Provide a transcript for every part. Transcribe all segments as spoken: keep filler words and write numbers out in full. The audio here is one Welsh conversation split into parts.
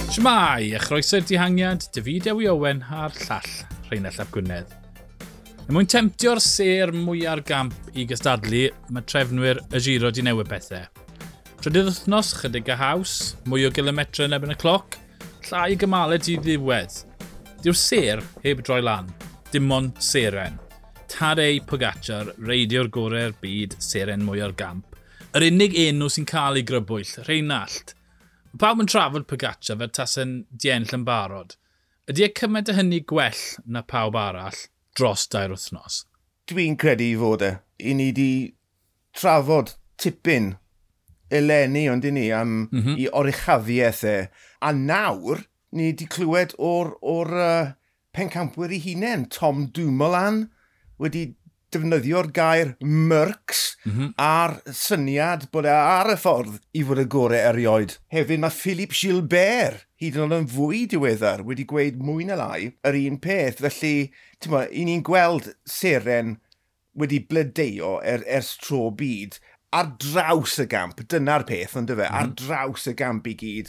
Shwmae, a chroeso i'r dihangiad, David Ewi Owen a'r llall, Rheinallt ap Gwynedd. Er mwyn temtio'r sêr mwya'r gamp i gystadlu, mae trefnwyr y Giro di newid pethau. Trydydd wythnos, chydig a haws, mwy o gilometre yn erbyn y cloc, llai o gymalau di ddiwedd. Dyw'r sêr heb droi lan, dim ond seren. Tadej Pogacar, reidio'r gorau'r byd, seren mwya'r gamp. Yr unig enw sy'n cael ei grybwyll, Rheinallt. Mae pawb yn trafod Pogacar fel tase'n di ennill yn barod. Ydy e cymaint o hynny gwell na pawb arall dros dair wythnos? Dwi'n credu i fod e. I ni di trafod tipyn eleni, ond i ni, am mm -hmm. i oruchafiaeth e. A nawr, ni di clywed o'r, or, uh, pencampwyr ei hunain, Tom Dumoulin, wedi defnyddio'r gair Mercs mm -hmm. a'r syniad bod e ar y ffordd i fod y gorau erioed. Hefyd mae Philippe Gilbert, hyd yn oed yn fwy diweddar, wedi gweud mwy na lai yr un peth. Felly, ti'n mo, i ni'n gweld seren wedi blodeuo er, ers tro byd ar draws y gamp, dyna'r peth, ond fe, mm -hmm. ar draws y gamp i gyd,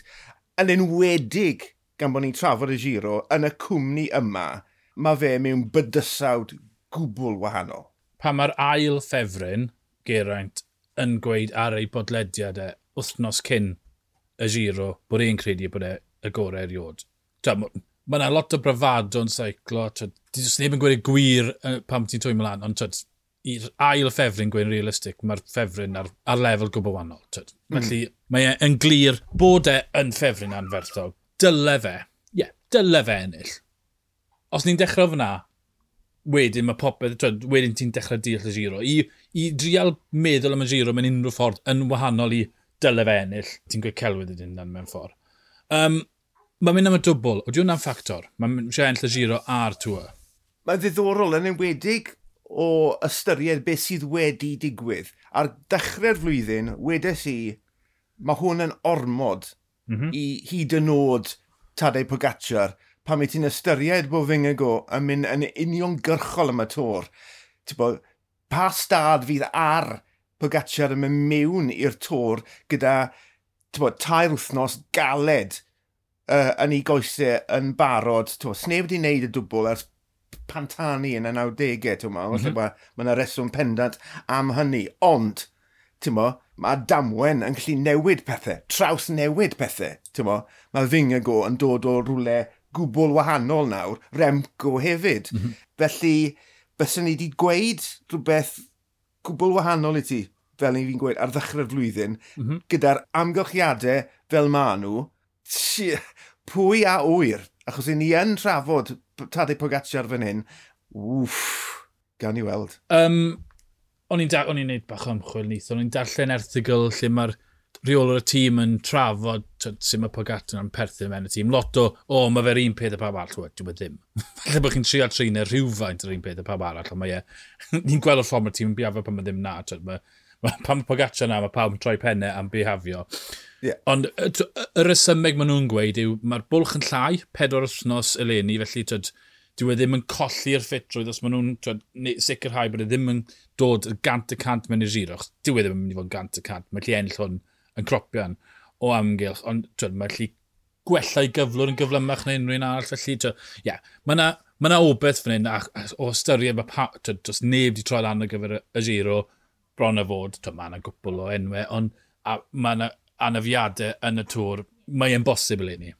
yn enwedig gan bod ni'n trafod y Giro, yn y cwmni yma, mae fe mewn bydysawd gwbl wahanol. Pan mae'r ail ffefryn, Geraint, yn gweud ar ei bodlediad e wythnos cyn y Giro bod e'n credu bod e y gorau erioed. Mae yna lot o bravado yn seiclo. Does neb yn gweud y gwir pam ti'n twymo lan, ond twyd, i'r ail ffefryn gweud yn realistig, mae'r ffefryn ar, ar lefel gwbl wahanol. Twyd. Mm. Felly mae e yn glir bod e yn ffefryn anferthol. Dyle fe, ie, yeah, dyle fe ennill. Os ni'n dechrau fyna, wedyn mae popeth, twyd, wedyn ti'n dechrau deall y Giro. I, i drial meddwl am y Giro mewn unrhyw ffordd yn wahanol i dyle fe ennill, ti'n gweud celwydd ydyn nhw mewn ffordd. Um, mae'n mynd am y dwbl. Ydy hwnna'n ffactor? Mae'n eisiau ennill y Giro a'r Tour. Mae'n ddiddorol yn enwedig o ystyried beth sydd wedi digwydd. Ar dechrau'r flwyddyn, wedes i, mae hwn yn ormod mm -hmm. i hyd yn oed Tadej Pogacar pan wyt ti'n ystyried bod Vingegaard yn mynd yn uniongyrchol am y Tour. Bo, pa stad fydd ar Pogacar yn mynd mewn i'r Tour gyda bo, tair wythnos galed uh, yn ei goesau yn barod. Bo, sneb wedi wneud y dwbl ers Pantani yn y nawdegau. Mm -hmm. Mae ma yna reswm pendant am hynny. Ond, mo, mae damwen yn gallu newid pethau, traws newid pethau. Mo, mae Vingegaard yn dod o rhywle gwbl wahanol nawr, Remco hefyd. Mm -hmm. Felly, byswn ni wedi gweud rhywbeth gwbl wahanol i ti, fel ni fi'n gweud, ar ddechrau'r flwyddyn, mm -hmm. gyda'r amgylchiadau fel ma nhw, pwy a ŵyr, achos i ni yn trafod Tadej Pogacar fan hyn, wff, gawn ni weld. Um, o'n i'n o'n i'n neud bach o ymchwil neith, o'n i'n darllen erthygl lle mae'r rheolwr y tîm yn trafod sut mae Pogacar yn perthyn mewn y tîm. Lot o, o, mae fe'r un peth a pawb arall. Wel, dyw e ddim. Falle bod chi'n trial trin e rhywfaint yr un peth a pawb arall, ond mae e... ni'n gweld o'r ffordd mae'r tîm yn bihafio pan mae ddim na. Twyd, mae, mae, pan mae Pogacar na, mae pawb yn troi pennau am bihafio. Yeah. Ond y, y rhesymeg maen nhw'n gweud yw mae'r bwlch yn llai, pedwar wythnos eleni, felly twyd, dyw e ddim yn colli'r ffitrwydd os maen nhw'n twyd, sicrhau bod e ddim yn dod gant y cant mewn i'r Giro. Dyw e ddim yn mynd i fod gant y cant. Mae'n gallu ennill hwn yn cropian o amgylch, ond twyd, mae'n gallu gwella ei gyflwr yn gyflymach na unrhyw un arall. Felly, ie, yeah, mae yna ma na obeith fan hyn, a, a, o ystyried, mae pa, twyd, does neb wedi troi lan ar gyfer y, y Giro bron a fod, twyd, mae yna gwpl o enwau, ond a, mae yna anafiadau yn y Tour, mae e'n bosib eleni.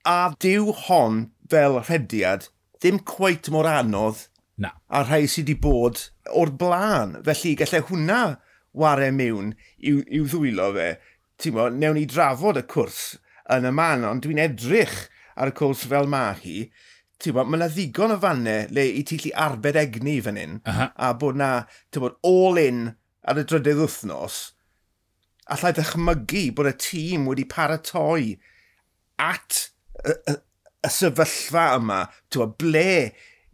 A dyw hon fel rhediad ddim cweit mor anodd na. A rhai sydd wedi bod o'r blaen. Felly gallai hwnna ware mewn i'w, i'w ddwylo fe. Ti'n mo, newn ni drafod y cwrs yn y man, ond dwi'n edrych ar y cwrs fel ma hi. Ti'n mo, mae yna ddigon o fannau le i ti lli arbed egni fan hyn, uh -huh. a bod na, ti'n bod, all in ar y drydydd wythnos, allai ddychmygu bod y tîm wedi paratoi at y, y, y sefyllfa yma, ti'n bod, ble,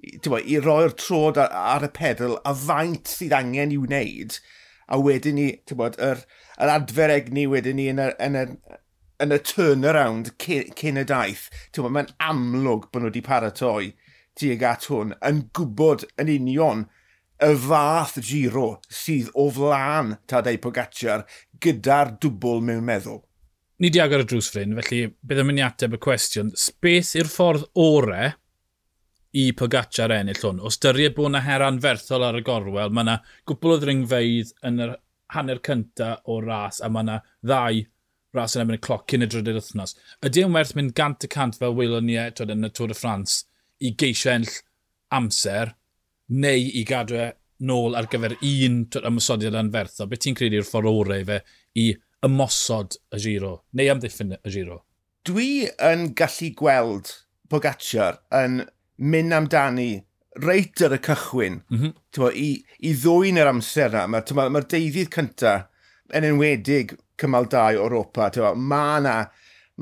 ti'n bod, i roi'r trod ar, ar y pedal a faint sydd angen i'w wneud, a wedyn ni, ti'n bod, yr, yr adfer egni wedyn ni yn y, yn y, yn y turnaround cyn, cyn y daith. Ti'n bod, mae'n amlwg bod nhw wedi paratoi tuag at hwn, yn gwybod yn union y fath Giro sydd o flaen Tadej Pogacar gyda'r dwbl mewn meddwl. Ni di agor y drws ffrind, felly bydd yn mynd i ateb y cwestiwn. Beth yw'r ffordd ore i Pogacar ennill hwn? O ystyried bod yna her anferthol ar y gorwel, mae yna gwpl o ddringfeydd yn yr hanner cynta o'r ras, a mae yna ddau ras yn erbyn y cloc cyn y drydydd wythnos. Ydy e'n werth mynd gant y cant fel welon ni e, twyd, yn y Tour de France i geisio ennill amser, neu i gadw e nôl ar gyfer un twyd, ymosodiad anferthol? Beth ti'n credu yw'r ffordd orau i fe i ymosod y Giro, neu amddiffyn y Giro? Dwi yn gallu gweld Pogacar yn mynd amdani reit ar y cychwyn, mm -hmm. Bo, i, i ddwyn yr amser na. Mae'r ma, ma deuddydd cynta, yn enwedig cymal dau o Europa, mae yna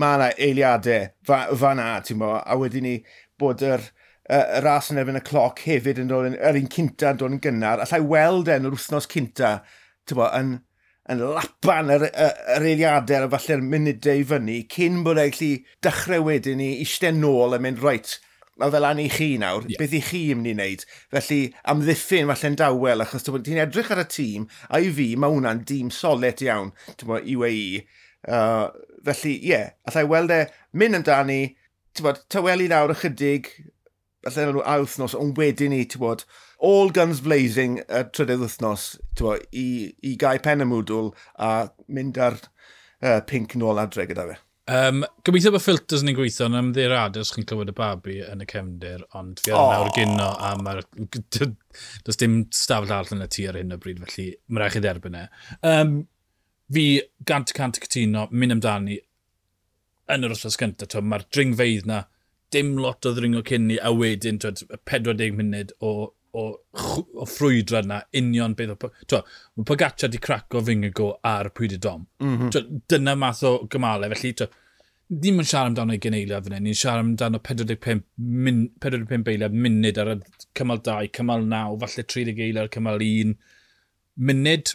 ma na eiliadau fa, fa na, bo, a wedyn ni bod yr, y, y ras yn erbyn y cloc hefyd yn dod yn, yr un cynta yn dod yn gynnar. Allai weld e yn yr wythnos cynta, bo, yn, yn lapan yr, yr, yr eiliadau a falle'r munudau i fyny, cyn bod e'n gallu dechrau wedyn ni eistedd nôl a mynd, reit, mae fel an i chi nawr, yeah. Beth i chi yn mynd i wneud. Felly, amddiffyn falle'n dawel, achos ti'n edrych ar y tîm, a i fi, mae hwnna'n dîm solet iawn, ti'n bod, U A E. Uh, felly, ie, yeah, allai weld e mynd amdani, ti'n bod, tawelu lawr ychydig, falle nhw a wythnos, ond wedyn ni, ti'n bod, all guns blazing y trydydd wythnos, ti'n bod, i, i gau pen y mwdwl a mynd ar uh, pink nôl adre gyda fe. Um, gobeithio bod filters ni'n gweithio, yn ymddiheuriadau os chi'n clywed y babi yn y cefndir, ond fi ar oh. nawr gyno a mae'r... Does dim stafell arall yn y tŷ ar hyn o bryd, felly mae rhaid chi dderbyn e. Um, fi gant y cant cytuno, mynd amdani yn yr wythnos gyntaf, mae'r dringfeydd na, dim lot o ddringo cyn ni, a wedyn twyd, pedwar deg munud o, o, o ffrwydrad na, union beth o... Twyd, mae Pogacar di craco Vingegaard ar Puy de Dôme. Mm -hmm. Twyd, dyna math o gymalau, felly twyd, ddim yn siarad amdano ugain eiliad fan hyn, ni'n siarad amdano pedwar deg pump min, pedwar deg pump eiliad munud ar y cymal dau, cymal naw, falle tri deg eiliad ar cymal un munud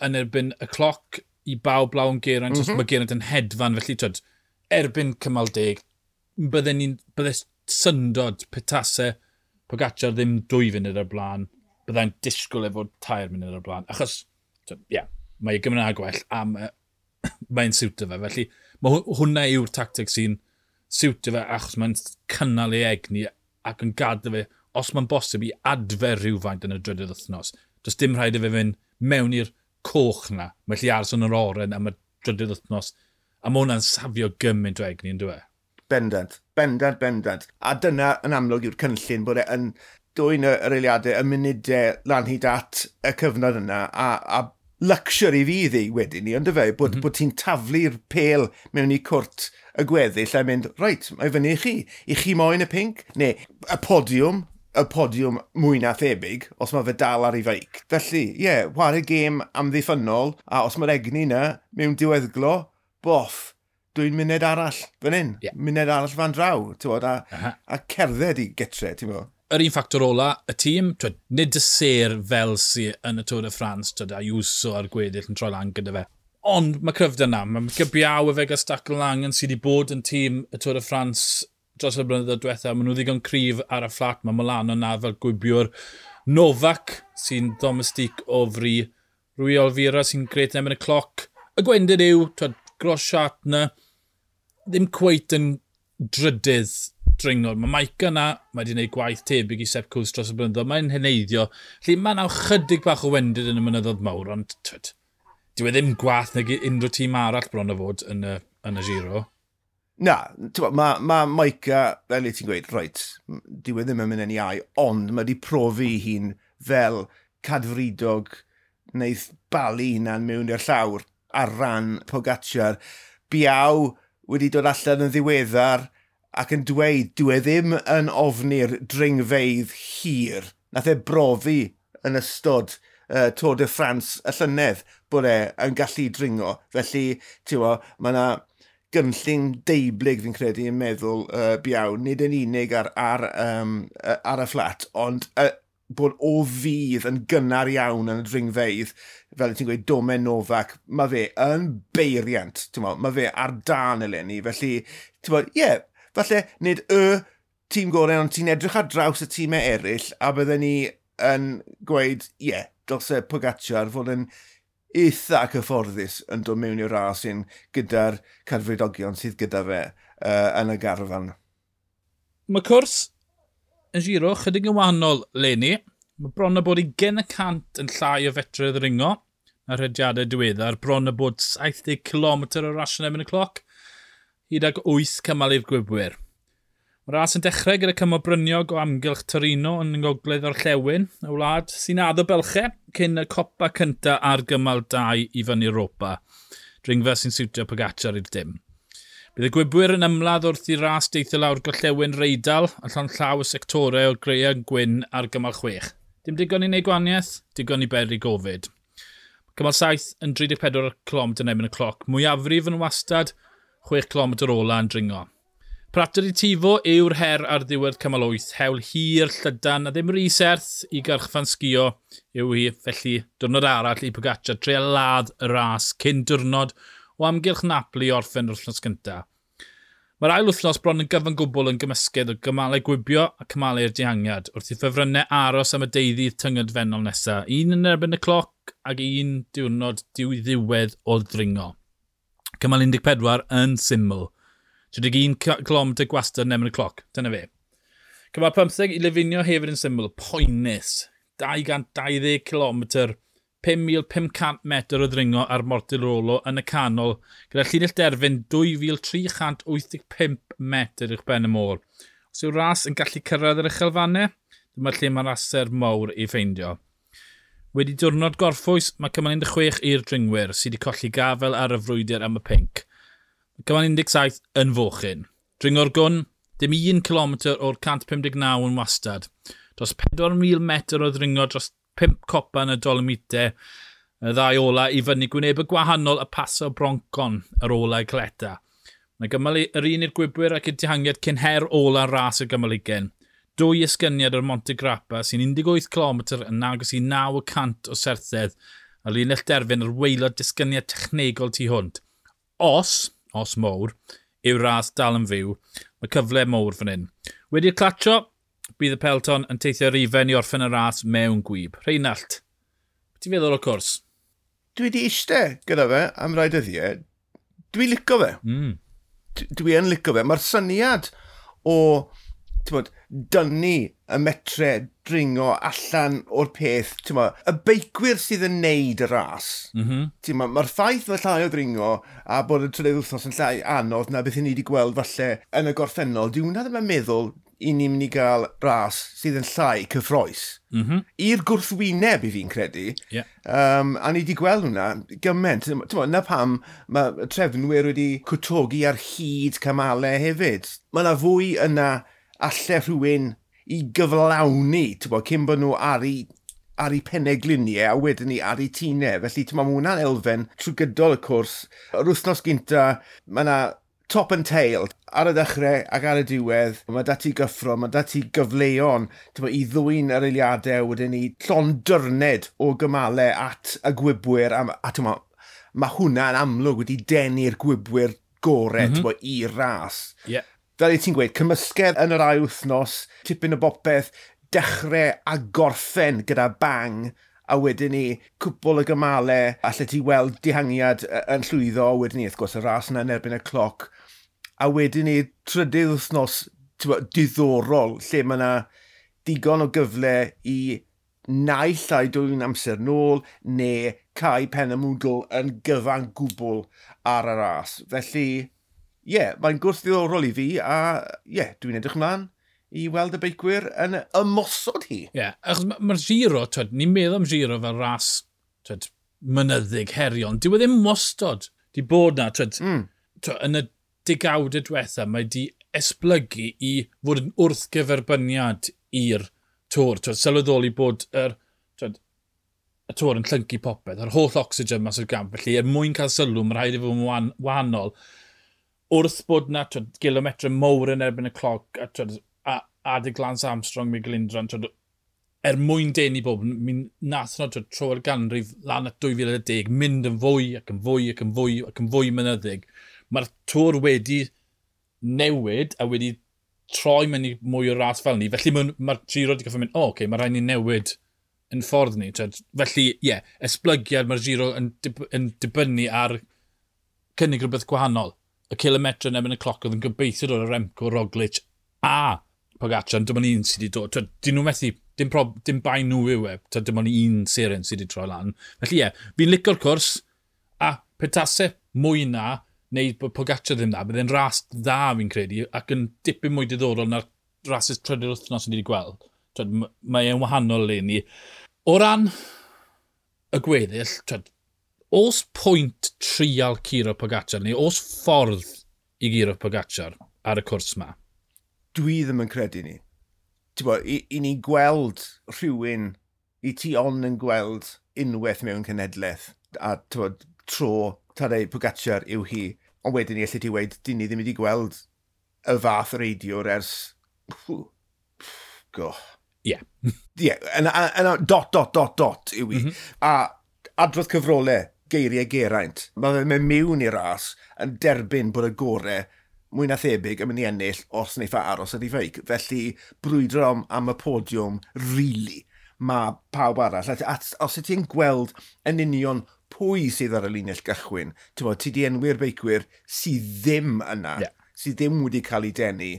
yn erbyn y cloc i bawb blawn Geraint, mm -hmm. Mae Geraint yn hedfan, felly twyd, erbyn cymal deg, bydden ni'n, bydde syndod petase Pogacar ddim dwy funud ar blaen, byddai'n disgwyl efo tair munud ar blaen, achos, ie, yeah, mae ei Gymraeg gwell a mae'n siwtio fe, felly mae hwnna yw'r tactig sy'n siwtio fe achos mae'n cynnal ei egni ac yn gadw fe, os mae'n bosib, i adfer rhywfaint yn y drydydd wythnos. Does dim rhaid i fe fynd mewn i'r coch na, mae'n gallu aros yn yr oren am y drydydd wythnos, a mae hwnna'n safio gymaint o egni, yn dyw e? Bendant, bendant, bendant. A dyna yn amlwg yw'r cynllun, bod e yn dwyn yr eiliadau, y munudau lan hyd at y cyfnod yna, a, a luxury fydd ei wedyn ni, ond fe, bod, mm -hmm. bod ti'n taflu'r pêl mewn i cwrt y gweddill a mynd, reit, mae fyny i chi. I chi moyn y pink? Neu y podiwm, y podiwm mwy na thebyg, os mae fe dal ar ei feic. Felly, ie, yeah, whare gêm amddiffynnol, a os mae'r egni yna mewn diweddglo, boff, dwi'n munud arall fan hyn, yeah. Munud arall fan draw, ti'n a, a cerdded i gytre, ti'n bod. Yr un ffactor ola, y tîm, twyd, nid y sêr fel sy yn y Tour de France, twyd, Ayuso a'r gweddill yn troi lan gyda fe. Ond mae cryfder na, mae Gybiaw efe Gastac Langen sydd wedi bod yn tîm y Tour de France dros y blynyddoedd diwethaf, maen nhw ddigon cryf ar y fflat, mae Molano na fel gwybiwr. Novak sy'n domestig o fri, Rui Oliveira sy'n gret yn erbyn y cloc. Y gwendid yw, twyd, Großschartner, ddim cweit yn drydydd dringwr. Mae Majka na, mae wedi gwneud gwaith tebyg i Sepp Kuss dros y blynyddoedd, mae'n heneiddio. Felly mae yna chydig bach o wendid yn y mynyddoedd mawr, ond twyd, dyw e ddim gwaeth nag unrhyw tîm arall bron o fod yn y, yn y Giro. Na, mae ma Majka, fel i ti'n gweud, reit, dyw e ddim yn mynd yn iau, ond mae wedi profi hun fel cadfridog wneith balu hunan mewn i'r llawr ar ran Pogacar. Biau wedi dod allan yn ddiweddar ac yn dweud dyw e ddim yn ofni'r dringfeydd hir. Nath e brofi yn ystod uh, Tour de France y llynedd bod e yn gallu dringo. Felly, ti'n bo, mae yna gynllun deublyg fi'n credu yn meddwl uh, Biau, nid yn unig ar, ar, um, ar y fflat, ond uh, bod o fydd yn gynnar iawn yn y dringfeydd, fel ti'n gweud, Domen Novak, mae fe yn beiriant, ti'n mo, mae fe ar dan eleni, felly, ti'n mo, ie, yeah, falle nid y tîm gorau, ond ti'n edrych ar draws y tîmau eraill, a bydden ni yn gweud, ie, yeah, dylse Pogacar fod yn eitha cyfforddus yn dod mewn i'r ras un gyda'r cadfridogion sydd gyda fe uh, yn y garfan. Mae cwrs yn Giro chydig yn wahanol leni. Mae bron a bod ugain y cant yn llai o fetrau ddringo na rhediadau diweddar. Bron a bod saith deg kilometr o rasio yn erbyn y cloc, hyd ag wyth cymal i'r gwibwyr. Mae'r ras yn dechrau gyda cymal bryniog o amgylch Torino yn ngogledd orllewin y wlad sy'n addo bylchau cyn y copa cynta ar gymal dau i fyny Europa. Dringfa sy'n siwtio Pogacar i'r dim. Bydd y gwibwyr yn ymladd wrth i ras deithio lawr gorllewin Reidal a llond llaw y sectorau o Greuan Gwyn ar gymal chwech. Dim digon i wneud gwahaniaeth, digon i beri gofid. Cymal saith yn tri deg pedwar kilometr yn erbyn y cloc. Mwyafrif yn wastad, chwech kilometr ola yn dringo. Prato di Tifo yw'r her ar ddiwedd cymal wyth. Hewl hir, llydan a ddim rhy serth i gyrchfan sgio yw hi. Felly diwrnod arall i Pogacar treial ladd y ras cyn diwrnod o amgylch Napoli i orffen yr wythnos gyntaf. Mae'r ail wythnos bron yn gyfan gwbl yn gymysgedd o gymalau gwibio a cymalau'r dihangiad wrth i ffefrynnau aros am y deuddydd tyngedfennol nesaf. Un yn erbyn y cloc ac un diwrnod diwedd o ddringo. Cymal un deg pedwar yn syml. tri deg un kilometr gwastad yn erbyn y cloc. Dyna fe. Cymal pymtheg i Livigno hefyd yn syml. Poenus. dau gant dau ddeg kilometr, pum mil pum cant metr o ddringo ar Mortirolo yn y canol, gyda llinell derfyn dwy fil tri chant wyth deg pump metr uwch ben y môr. Os yw'r ras yn gallu cyrraedd yr uchelfannau, dyma lle mae'r raser mawr ei ffeindio. Wedi diwrnod gorffwys, mae cymal un deg chwech i'r dringwyr sydd wedi colli gafel ar y frwydr am y pinc. Mae cymal un deg saith yn fochyn. Dringo'r gwn, dim un kilometr o'r cant pum deg naw yn wastad. Dros pedwar mil metr o ddringo dros pump copa yn y Dolomite, y ddau ola i fyny gwyneb y gwahanol y Paso Broncon ar ola i Cleta. Mae gymal yr un i'r gwibwyr ac i'r dihangiad cyn her ola ras y gymal ugain. Dwy esgyniad o'r Monte Grappa sy'n un deg wyth kilometr yn agos i naw y cant o serthedd a linell derfyn ar waelod disgyniad technegol tu hwnt. Os, os mowr, yw'r ras dal yn fyw, mae cyfle mowr fan hyn. Wedi'r clatio, bydd y Pelton yn teithio rifen i orffen y ras mewn gwib. Rheinallt, beth ti'n feddwl o'r cwrs? Dwi wedi eistedd gyda fe am rai dyddiau. Dwi'n licio fe. Mm. Dwi yn licio fe. Mae'r syniad o t'mod, dynnu y metre dringo allan o'r peth, t'mod, y beicwyr sydd yn neud y ras. Mm -hmm. T'mod, mae'r ffaith mae llai o ddringo a bod y trydydd wythnos yn llai anodd na beth i ni wedi gweld falle yn y gorffennol, dyw hwnna ddim yn meddwl i ni'n mynd i gael ras sydd yn llai cyffrous. Mm -hmm. I'r gwrthwyneb i fi'n credu. Yeah. Um, a ni wedi gweld hwnna gymaint. T'mod, na pam mae trefnwyr wedi cwtogi ar hyd cymalau hefyd. Mae yna fwy yna alle rhywun i gyflawni, t'mod, cyn bod nhw ar eu, ar eu pennegliniau a wedyn ni ar eu tinau. Felly, t'mod, mae hwnna'n elfen trwy gydol y cwrs. Yr wythnos gynta, mae yna top and tail ar y ddechrau ac ar y diwedd. Mae 'da ti gyffro, mae 'da ti gyfleon, t'mod, i ddwyn yr eiliadau wedyn ni llond dyrned o gymalau at y gwibwyr. A, a t'mod, mae hwnna'n amlwg wedi denu'r gwibwyr gore, mm -hmm. t'mod, i'r ras. Yeah. Fel ti'n gweud, cymysgedd yn yr ail wythnos, tipyn o bopeth, dechrau a gorffen gyda bang, a wedyn ni cwpl o gymalau, alle ti weld dihangiad yn llwyddo, wedyn ni, wrth gwrs, y ras yna yn erbyn y cloc, a wedyn ni trydydd wythnos, t'mod, diddorol, lle mae yna digon o gyfle i naill ai dwyn amser nôl, neu cau pen y mwdl yn gyfan gwbl ar y ras. Felly, ie, yeah, mae'n gwrs ddiddorol i fi, a ie, yeah, dwi'n edrych ymlaen i weld y beicwyr yn ymosod hi. Ie, yeah, achos ma-, ma'r Giro, twed, ni'n meddwl am Giro fel ras, twed, mynyddig, heriol. Dyw e ddim wastad di bod na, twed, Mm. twed, yn y degawdau diwetha, mae di esblygu i fod yn wrthgyferbyniad i'r Tour. Twed, sylweddoli bod yr, twed, y Tour yn llyncu popeth, yr holl ocsigen mas o'r gamp. Felly, er mwyn cael sylw, mae rhaid i fod yn wan-, wahanol. Wrth bod na, twed, gilometre mowr yn erbyn y cloc, a, twed, a adeg Lance Armstrong, Miguel Indurain, twed, er mwyn denu bobl, mi nath nhw, twed, tro'r ganrif lan at dwy fil a deg, mynd yn fwy ac yn fwy ac yn fwy ac yn fwy mynyddig. Mae'r Tour wedi newid a wedi troi mewn i mwy o ras fel ni. Felly mae'r, mae'r Giro wedi gorfod mynd, o, oce, mae rhaid ni newid yn ffordd ni. Twed. Felly, ie, yeah, esblygiad mae'r Giro yn, dib, yn dibynnu ar cynnig rhywbeth gwahanol. Y kilometre yn erbyn y cloc oedd yn gobeithio dod o Remco, Roglic a Pogacar, dim ond un sydd wedi dod. Twed, dyn nhw methu, dim, prob, dim bai nhw yw e, twed, dim ond un seren sydd wedi troi lan. Felly ie, yeah, fi'n licio'r cwrs, a petase mwy na, neu bod Pogacar ddim na, bydd e'n ras dda fi'n credu, ac yn dipyn mwy diddorol na'r rasys trydydd wythnos ni wedi gweld. Twed, mae e'n wahanol leni. O ran y gweddill, twed, oes pwynt trial curo Pogacar, neu oes ffordd i guro Pogacar ar y cwrs ma? Dwi ddim yn credu ni. Bo, i, i ni gweld rhywun, i ti ond yn gweld unwaith mewn cenhedlaeth, a bo, tro Tadej Pogacar yw hi, ond wedyn ni allu ti weud, dyn ni ddim wedi gweld y fath reidiwr ers... Go. Ie. Ie, yna dot, dot, dot, dot yw i. Mm -hmm. A adrodd cyfrolau, geiriau Geraint. Mae fe'n mynd mewn i'r ras yn derbyn bod y gorau mwy na thebyg yn mynd i ennill os wneith e aros ar ei feic. Felly, brwydro am, am y podiwm, really, mae pawb arall. A, a, os y ti'n gweld yn union pwy sydd ar y linell gychwyn, ti'n bod, ti di enwi'r beicwyr sydd ddim yna, yeah. sydd ddim wedi cael ei denu.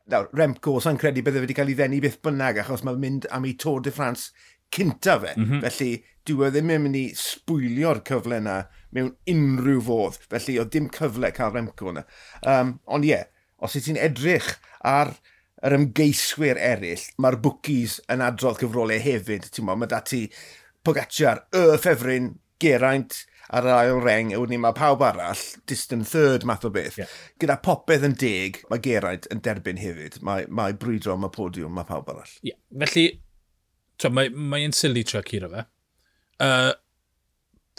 Nawr, Remco, sa'n credu bydde wedi cael ei ddenu beth bynnag, achos mae'n mynd am ei Tour de France cynta fe. Mm -hmm. Felly, dyw e ddim yn mynd i sbwylio'r cyfle yna mewn unrhyw fodd. Felly, oedd dim cyfle cael Remco yna. Um, ond ie, yeah, os wyt ti'n edrych ar yr ymgeiswyr eraill, mae'r bookies yn adrodd cyfrolau hefyd. Ti'n mo, mae dati Pogacar, y ffefryn, Geraint ar yr ail reng, a wedyn mae pawb arall, distant third math o beth. Yeah. Gyda popeth yn deg, mae Geraint yn derbyn hefyd. Mae, mae brwydro am y podiwm, mae pawb arall. Yeah. Felly, mae'n mae silly trio curo fe. Uh,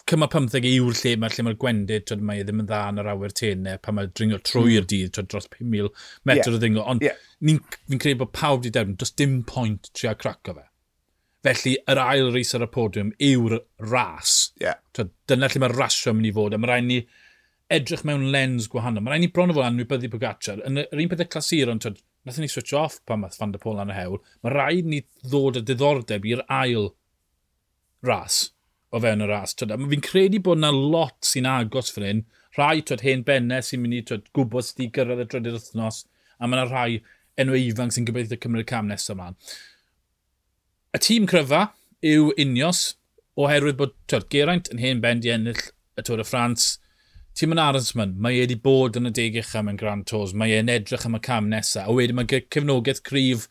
cymal pymtheg yw'r lle mae lle mae'r gwendid, twyd, mae e ddim yn dda yn yr awyr tenau pan mae'n dringo trwy'r mm. dydd, twyd, dros pum mil metr yeah. o ddringo. Ond yeah. fi'n credu bod pawb wedi derbyn, does dim pwynt trio craco fe. Felly, yr ail reis ar y podiwm yw'r ras. Yeah. Twyd, dyna lle mae'r rasio yn mynd i fod. A mae rhaid ni edrych mewn lens gwahanol. Mae rhaid ni bron o fod anwybyddu Pogacar. Yn yr un peth y clasuron, twyd, nathon ni switch off pan math Van der Poel ar y hewl. Mae rhaid ni ddod â diddordeb i'r ail ras o fewn y ras. Twyd, a fi'n credu bod yna lot sy'n agos fan hyn. Rhai twyd, hen bennau sy'n mynd i twyd, gwybod sydd wedi gyrraedd y drydydd wythnos. A mae yna rhai enw ifanc sy'n gobeithio cymryd y cam nesaf ymlaen. Y tîm cryfa yw Ineos, oherwydd bod twyd, Geraint yn hen ben di ennill y Tour de France. Tîm yn Arensman, mae e wedi bod yn y deg ucha mewn Grand Tours, mae e'n edrych am y cam nesaf. A wedyn mae cefnogaeth cryf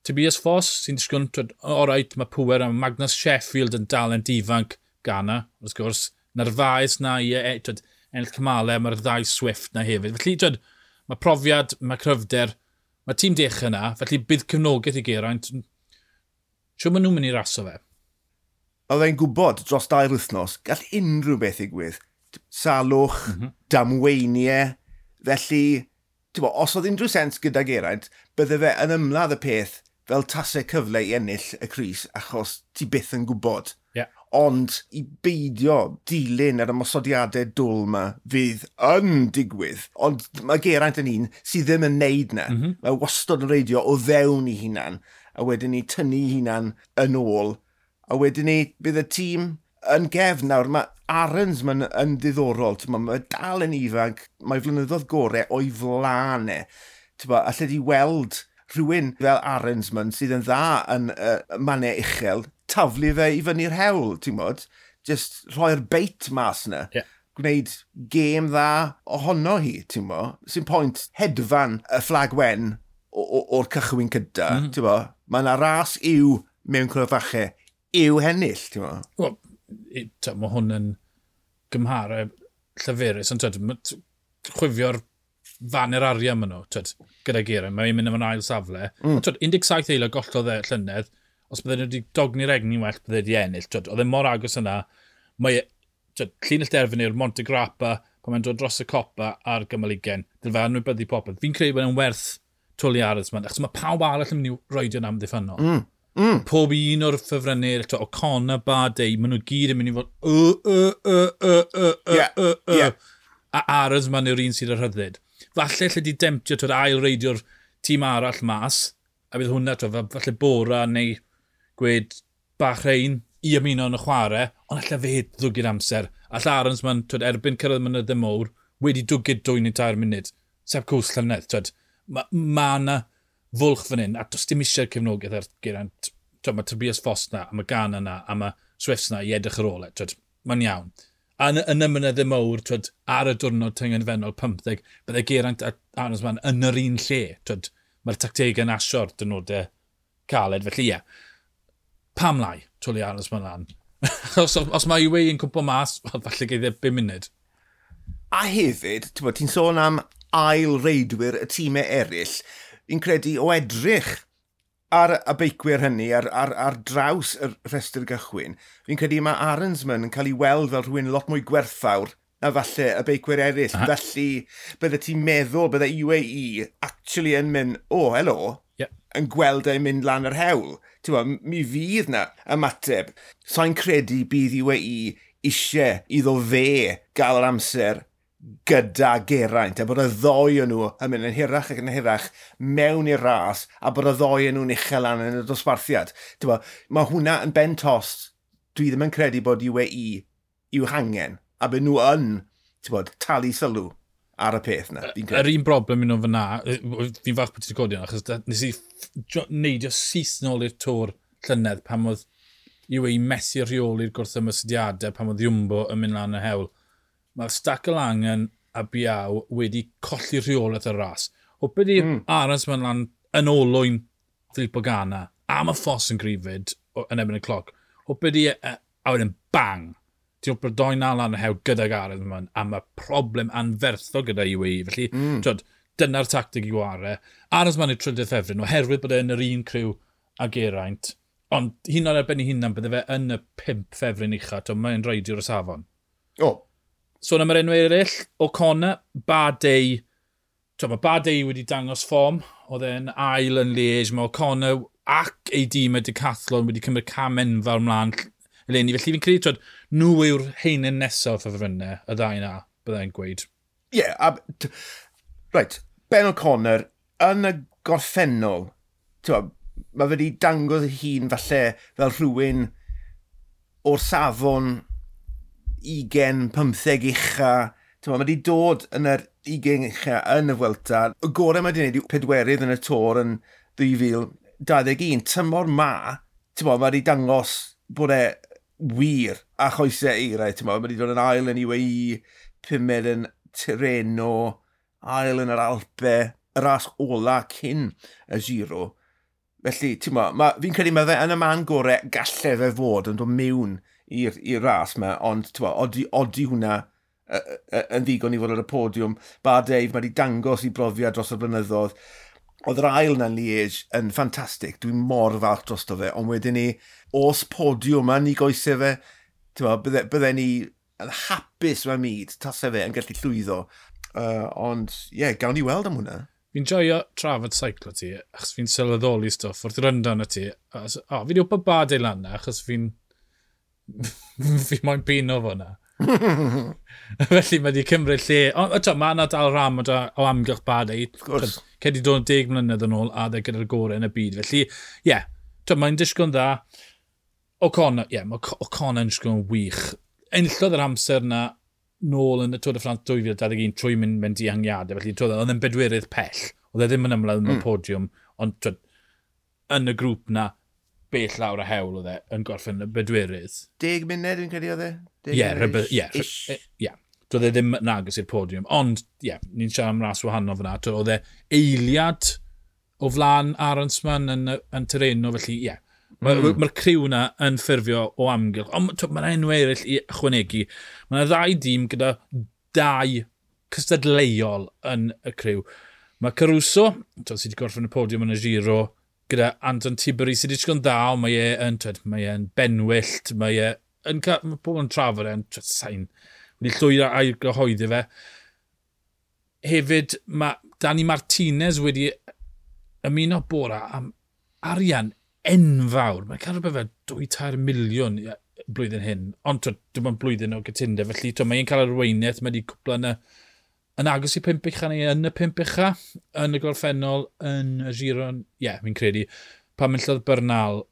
Tobias Foss sy'n disgwyl, twyd, alright, mae pwer am Magnus Sheffield yn dalent ifanc Ghana, wrth gwrs. Narvaez na i e, twyd, ennill cymalau, mae'r ddau Swift na hefyd. Felly, twyd, mae profiad, mae cryfder, mae tîm dechrau yna, felly bydd cefnogaeth i Geraint. Siw maen nhw'n mynd i raso fe? Oedd e'n gwybod dros dair wythnos, gall unrhyw beth ddigwydd. Salwch, mm -hmm. damweiniau. Felly, bo, os oedd unrhyw sens gyda Geraint, bydde fe yn ymladd y peth fel tasau cyfle i ennill y crys, achos ti byth yn gwybod. Yeah. Ond i beidio dilyn yr ymosodiadau dwl yma fydd yn digwydd. Ond mae Geraint yn un sydd ddim yn neud na. Mm -hmm. Mae wastod yn reidio o fewn i hunan, a wedyn ni tynnu hunan yn ôl. A wedyn ni bydd y tîm yn gefn nawr. Mae Arensman yn ddiddorol. Mae, mae dal yn ifanc, mae flynyddoedd gorau o'i flaen e. Alle di weld rhywun fel Arensman sydd yn dda yn uh, mannau uchel, taflu fe i fyny'r hewl, ti'n bod? Just rhoi'r beit mas yna. Yeah. Gwneud gêm dda ohono hi, ti'n bod? Sy'n pwynt hedfan y fflag wen o'r cychwyn cyda, mm -hmm. ti'n bo? Mae yna ras yw mewn cryfachau yw hennill, ti'n bo? Wel, mae hwn yn gymhareb llyfurus, ond twyd, chwifio'r faner arian maen nhw, twyd, gyda Geraint, mae'n mynd am yn ail safle. Mm. Twyd, un deg saith eiliad gollodd e llynedd, os bydde nhw wedi dogni'r egni'n well, bydde wedi ennill. Twyd, oedd e mor agos yna, mae, twyd, llinell derfyn yw'r Monte Grappa, pan mae'n dod dros y copa a'r gymal ugain, dylai fe anwybyddu popeth. Fi'n credu bod e'n werth twli Arensman, achos mae pawb arall yn mynd i roedio'n amddiffynnol. Mm. Mm. Pob un o'r ffefrynnau, O'Connor, Bardet, maen nhw gyd yn mynd i fod y, y, y, y, y, y, y, y. Yeah. A Arensman yw'r un sydd ar rhyddid. Falle lle di demtio twyd, ail reidio'r tîm arall mas, a bydd hwnna, twyd, falle Bora neu gwed Bahrain i ymuno yn y chwarae, ond allai fe ddwgyd amser. Alla Arensman, twyd, erbyn cyrraedd mynyddau mowr, wedi dwgyd dwy neu tair munud. Sepp Kuss llynedd, twyd, mae ma 'na fwlch fan hyn, a does dim eisiau'r cefnogaeth ar Geraint. Twyd, mae Tobias Foss na, a mae Ganna na, a mae Swift na i edrych ar ôl e. Twyd, mae'n iawn. A yn, yn y mynyddau mowr, twyd, ar y diwrnod tyngedfennol pymtheg, bydde Geraint a Arensman yn yr un lle. Twyd, mae'r tactegau yn asio'r dynodau caled. Felly ie, yeah. Pam lai, twli Arensman lan. os, os mae U A E yn cwmpo mas, wel, falle geith e bum munud. A hefyd, ti'n sôn am ail reidwyr y tîmau eraill, fi'n credu o edrych ar y beicwyr hynny, ar, ar, ar draws y rhestr gychwyn, fi'n credu mae Arensman yn cael ei weld fel rhywun lot mwy gwerthfawr na falle y beicwyr eraill. Aha. Felly, bydde ti'n meddwl, bydde U A E actually yn mynd, o, oh, helo, yeah. yn gweld e'n mynd lan yr hewl. Ti'n bod, mi fydd na ymateb. Sa'n credu bydd U A E eisiau iddo fe gael yr amser gyda Geraint, a bod y ddoi o nhw yn mynd yn hirach ac yn hirach mewn i'r ras, a bod y ddoi o nhw'n uchel lan yn y dosbarthiad. Ti'n bod, mae hwnna yn ben tost. Dwi ddim yn credu bod U A E i'w hangen, a bod nhw yn, ti'n bod, talu sylw ar y peth na. Yr un broblem i nhw fyna, fi'n falch bod ti wedi codi hwnna, achos nes i neidio syth nôl i'r Tour llynedd pan oedd U A E methu rheoli'r gwrthymosodiadau, pan oedd Jumbo yn mynd lan y hewl. Mae'r Stack Langen a Biau wedi colli rheolaeth y ras. Hwped i mm. Arensman lan yn olwyn Filippo Ganna, a mae Foss yn gryfyd yn ebyn y cloc. Hwped i, a wedyn bang, ti'n hwped doi na lan y hewl gydag Arensman, a mae problem anferthol gyda U A E. Felly, mm. twyd, dyna'r tactig i ware. Arensman yw'r trydydd ffefryn, oherwydd bod e yn yr un criw a Geraint, ond hyn oed ar ben ei hunan, bydde fe yn y pump ffefryn ucha, twyd, mae'n reidiwr o safon. O. Oh. Sôn am yr enw eraill, O'Connor, Bardet, twyd, mae Bardet wedi dangos fform, oedd e'n ail yn Liège, mae O'Connor ac ei dîm y Decathlon wedi cymryd cam enfawr mlaen eleni. Felly fi'n credu, twyd, nhw yw'r heinen nesaf o ffefrynnau, y ddau na, byddai'n gweud. Ie, yeah, a, right, Ben O'Connor, yn y gorffennol, twyd, mae fe wedi dangos ei hun falle fel rhywun o'r safon ugain, pymtheg ucha. Mae wedi dod yn yr ugain ucha yn y Vuelta. Y gorau mae wedi gwneud yw pedwerydd yn y Tour yn dwy fil dau ddeg un. Tymor ma, mae wedi dangos bod e wir a choesau eirau. Mae wedi dod yn ail yn U A E, pumed yn Tirreno, ail yn yr Alpe, y ras ola cyn y Giro. Felly, ti'n mo, ma, fi'n credu mae fe yn y man gorau galle fe fod yn dod mewn i'r ras yma, ond ti'n mo, odi, odi hwnna y, y, yn ddigon i fod ar y podiwm. Bardet, mae wedi dangos i brofiad dros y blynyddoedd. Oedd yr ail na'n Liège yn ffantastig, dwi'n mor falch drosto fe, ond wedyn ni, os podiwm yma ni goesau fe, ti'n mo, bydde, bydde ni yn hapus mewn myd, tasau fe yn gallu llwyddo. Uh, ond, ie, yeah, gawn ni weld am hwnna. Fi'n joio trafod seiclo ti, achos fi'n sylweddoli stwff wrth ryndo arno ti. O, fi wedi wybod Bardet lan na, achos fi'n fi moyn pino fo na. Felly mae wedi cymryd lle. Ond eto, mae yna dal ram o, o amgylch Bardet. Cedi dod yn deg mlynedd yn ôl a dde gyda'r gorau yn y byd. Felly, ie, yeah, mae'n disgwyl yn dda. O'Connor, ie, yeah, mae O'Connor yn disgwyl yn wych. Enillodd yr amser na nôl yn y Tour de France dwy fil dau ddeg un trwy mynd mewn dihangiadau. Felly, twyd, oedd e'n bedwerydd pell. Oedd e ddim yn ymlaen yn y mm. podiwm, ond twyd, yn y grŵp na, bell lawr y hewl oedd e yn gorffen y bedwerydd. Deg munud, dwi'n credu oedd e? Ie, ie, ie. Doedd e ddim yn agos i'r podiwm. Ond, ie, yeah, ni'n siarad am ras wahanol fyna. Oedd e eiliad o flaen Arensman yn, yn Tirreno, felly, ie. Yeah. Mae'r mm. ma criw na yn ffurfio o amgylch. Ond mae'n enw eraill i ychwanegu. Mae yna ddau dîm gyda dau cystadleuol yn y criw. Mae Caruso, twyd, sydd wedi gorffen y podiwm yn y Giro, gyda Anton Tiberi sydd wedi disgwyl yn dda, ond mae e yn, twyd, mae e'n benwyllt, mae e yn, mae pobl yn trafod e'n sain, wedi llwyddo a'i gyhoeddi fe. Hefyd, mae Dani Martinez wedi ymuno Bora am arian enfawr. Mae'n cael rhywbeth fel dwy tair miliwn blwyddyn hyn, ond twyd, dim ond blwyddyn o gytundeb, felly twyd, mae'n cael arweiniaeth, mae wedi cwpla yn y yn agos i pump ucha neu yn y pump ucha, yn y gorffennol, yn y Giro, ie, yeah, fi'n credu, pan enillodd Bernal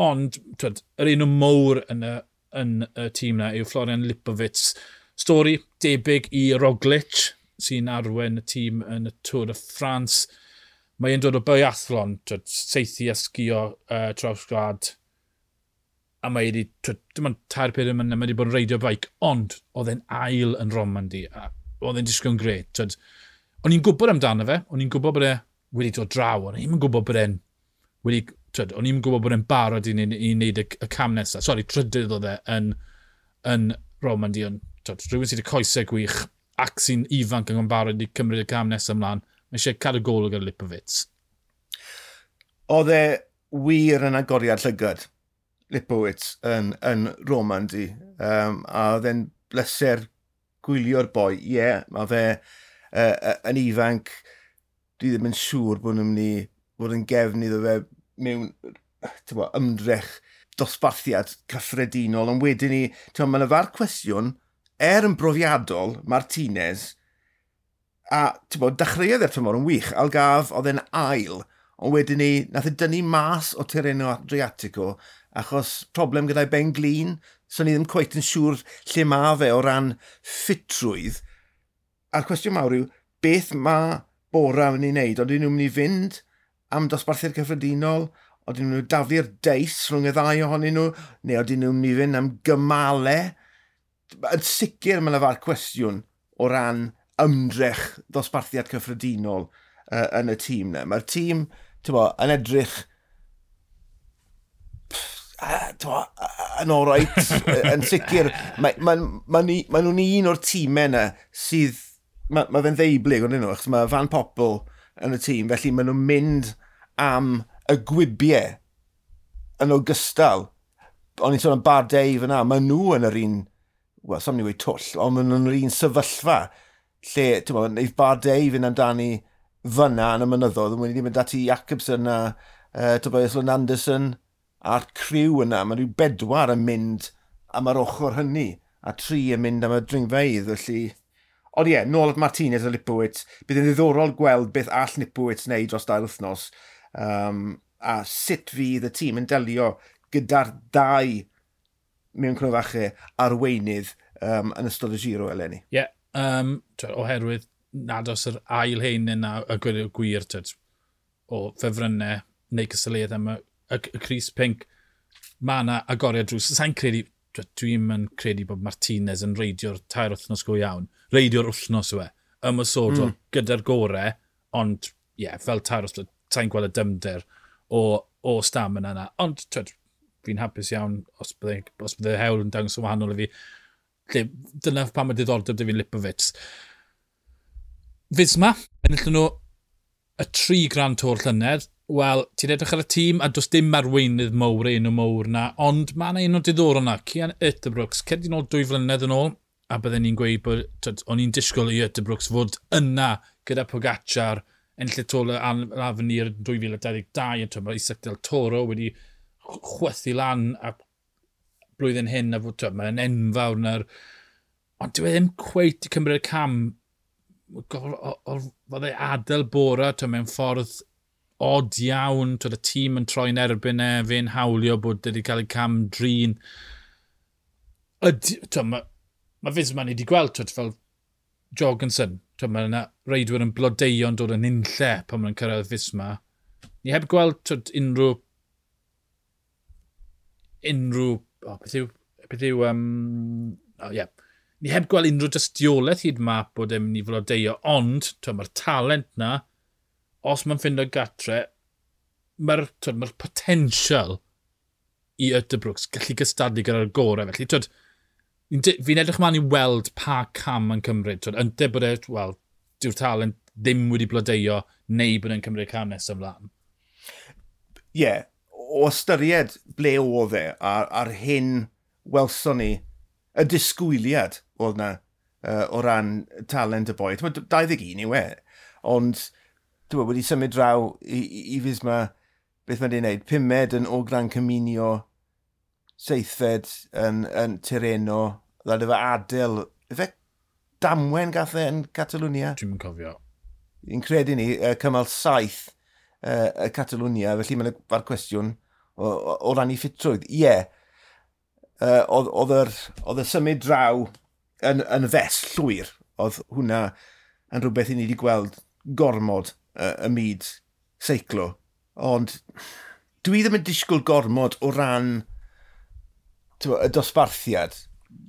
Ond, twed, yr enw mowr yn y, yn y tîm na yw Florian Lipowitz. Stori debyg i Roglic, sy'n arwen y tîm yn y Tour de France. Mae e'n dod o biathlon, twed, seithi a sgio uh, traws gwlad. A mae wedi, twed, dim ond tair pedair mlynedd, mae wedi bod yn reidio bike, ond oedd e'n ail yn Romandy, a oedd e'n disgwyl yn grêt. Twed, o'n i'n gwybod amdano fe, o'n i'n gwybod bod e wedi dod draw, o'n i'n gwybod bod e'n wedi, twed, o'n i'n gwybod bod e'n barod i, i wneud y, y cam nesaf. Sori, trydydd oedd e yn, yn Romandy, ond twed, rhywun sydd wedi coesau gwych ac sy'n ifanc yn barod i cymryd y cam nesaf ymlaen. Mae eisiau cadw golwg ar Lipowitz. Oedd e wir yn agoriad llygad, Lipowitz, yn, yn Romandy. Um, a oedd e'n bleser gwylio'r boi. Ie, yeah, mae fe uh, yn ifanc. Dwi ddim yn siŵr bod nhw'n mynd i fod yn gefn iddo fe mewn bo, ymdrech dosbarthiad cyffredinol. Ond wedyn ni, mae yna farc cwestiwn, er yn brofiadol, Martinez, a bo, dechreuodd e'r tymor yn wych. Algarve oedd e'n ail, ond wedyn ni, nath e dynnu mas o Tirreno Adriatico achos problem gyda'i ben glin, so ni ddim cweit yn siŵr lle mae fe o ran ffitrwydd. A'r cwestiwn mawr yw, beth mae Bora yn ei wneud? Oedden nhw'n mynd i fynd am dosbarthiad cyffredinol? Oedden nhw'n daflu'r deis rhwng y ddau ohonyn nhw? Neu oedden nhw'n mynd i fynd am gymalau? Yn sicr mae yna farc cwestiwn o ran ymdrech dosbarthiad cyffredinol uh, yn y tîm na. Mae'r tîm, ti'n bo, yn edrych bo, yn oreit, yn sicr. Mae ma, ma, ma nhw'n un o'r tîmau yna sydd, mae ma fe'n ddeublyg ond nhw, achos mae Van Poppel yn y tîm, felly maen nhw'n mynd am y gwibiau yn ogystal. O'n i'n sôn am Bardet fyna, maen nhw yn yr un, wel, sam ni wedi twll, ond maen nhw'n yr un sefyllfa lle, ti'n bod, neith Bardet fynd amdani fyna yn y mynyddoedd, ond wedi mynd ati Jacobsen a uh, Tobias Lund Andersen a'r criw yna, mae rhyw bedwar yn mynd am yr ochr hynny, a tri yn mynd am y dringfeydd, felly... Ond ie, nôl at Martinez a Lipowitz, bydd yn ddiddorol gweld beth all Lipowitz wneud dros dair wythnos, um, a sut fydd y tîm yn delio gyda'r dau mewn cnofachau arweinydd um, yn ystod y Giro eleni. Ie, yeah, um, oherwydd nad oes yr ail hein yna y gwir, gwir twed, o ffefrynnau neu cystadleuaeth am y, y, y Crys Pink, mae yna agoriad drws. Sa'n credu, dwi'n yn credu bod Martinez yn reidio'r tair wythnos go iawn. Reidio'r wythnos yw e, ymosodol mm. gyda'r gore, ond ie, yeah, fel tair wythnos, sa'n gweld y dymder o, o stamina yna. Ond twed, fi'n hapus iawn os bydde, os bydde hewl yn dangos yn wahanol i fi. Lle, dyna pam mae diddordeb dy fi'n Lipowitz. Visma, enillon nhw y tri Grand Tour llynedd. Wel, ti'n edrych ar y tîm a does dim arweinydd mowr, enw mowr na, ond mae yna enw diddorol na, Cian Uijtdebroeks, cedi nôl dwy flynedd yn ôl, a bydden ni'n gweud bod, twyd, o'n i'n disgwyl i Uijtdebroeks fod yna gyda Pogacar, ennill y Tour l'Avenir dwy fil a dau ddeg dau, a twyd, mae Isaac Del Toro wedi chwythu lan a blwyddyn hyn, a fod, twyd, mae'n enfawr na'r... Ond dyw e ddim cweit i cymryd y cam, fod e adael Bora, twyd, mewn ffordd od iawn, twyd, y tîm yn troi'n erbyn e, fe'n hawlio bod wedi cael ei cam drin. Ydy, twyd, mae ma Visma ni wedi gweld, twyd, fel Jorgensen, twyd, mae yna reidwyr yn blodeuo'n dod yn unlle pan maen nhw'n cyrraedd Visma. Ni heb gweld, twyd, unrhyw unrhyw, oh, beth yw, beth yw, um, oh, yeah. Ni heb gweld unrhyw dystiolaeth hyd yma bod e'n mynd i flodeuo, ond twyd, mae'r talent na, os mae'n ffindo gatre, mae'r ma potensial i Uijtdebroeks gallu gystadlu gyda'r gorau. Felly, twyd, fi'n edrych mlaen i weld pa cam mae'n cymryd. Twyd, ynte bod e, wel, dyw'r talent ddim wedi blodeuo neu bod e'n cymryd cam nesaf ymlaen. Ie, yeah, o ystyried ble oedd e a'r, ar hyn welson ni, y disgwyliad oedd na uh, o ran talent y boi. dau ddeg un yw e, ond dwi wedi symud draw i, i, i Visma, beth mae wedi'i wneud, pumed yn O Gran Camino, seithfed yn, yn Tirreno, ddod efo adael, efe damwen gath e yn Catalwnia? Dwi'm yn cofio. Fi'n credu ni, uh, cymal saith uh, y Catalwnia, felly mae'n fa'r cwestiwn, o, o, o ran ei ffitrwydd. Ie, yeah, uh, oedd oedd y symud draw yn, yn fes llwyr. Oedd hwnna yn rhywbeth i ni wedi gweld gormod uh, y myd seiclo. Ond dwi ddim yn disgwyl gormod o ran tywa, y dosbarthiad.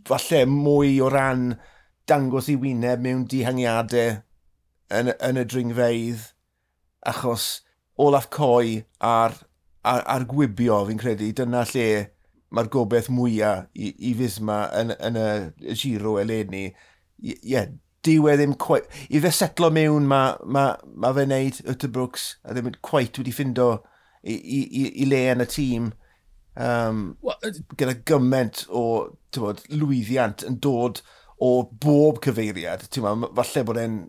Falle mwy o ran dangos i wyneb mewn dihangiadau yn, yn y dringfeydd, achos Olaf Coi a'r, ar, ar gwibio, fi'n credu, dyna lle mae'r gobeith mwyaf i, i Fisma yn, yn y Giro eleni. Ie, yeah, dyw e ddim quite... I fe setlo mewn, mae ma, ma fe'n neud Uterbrooks a ddim quite wedi ffindo i, i, i, i le yn y tîm. Um, well, gyda gymaint o bod, lwyddiant yn dod o bob cyfeiriad. Bod, falle bod e'n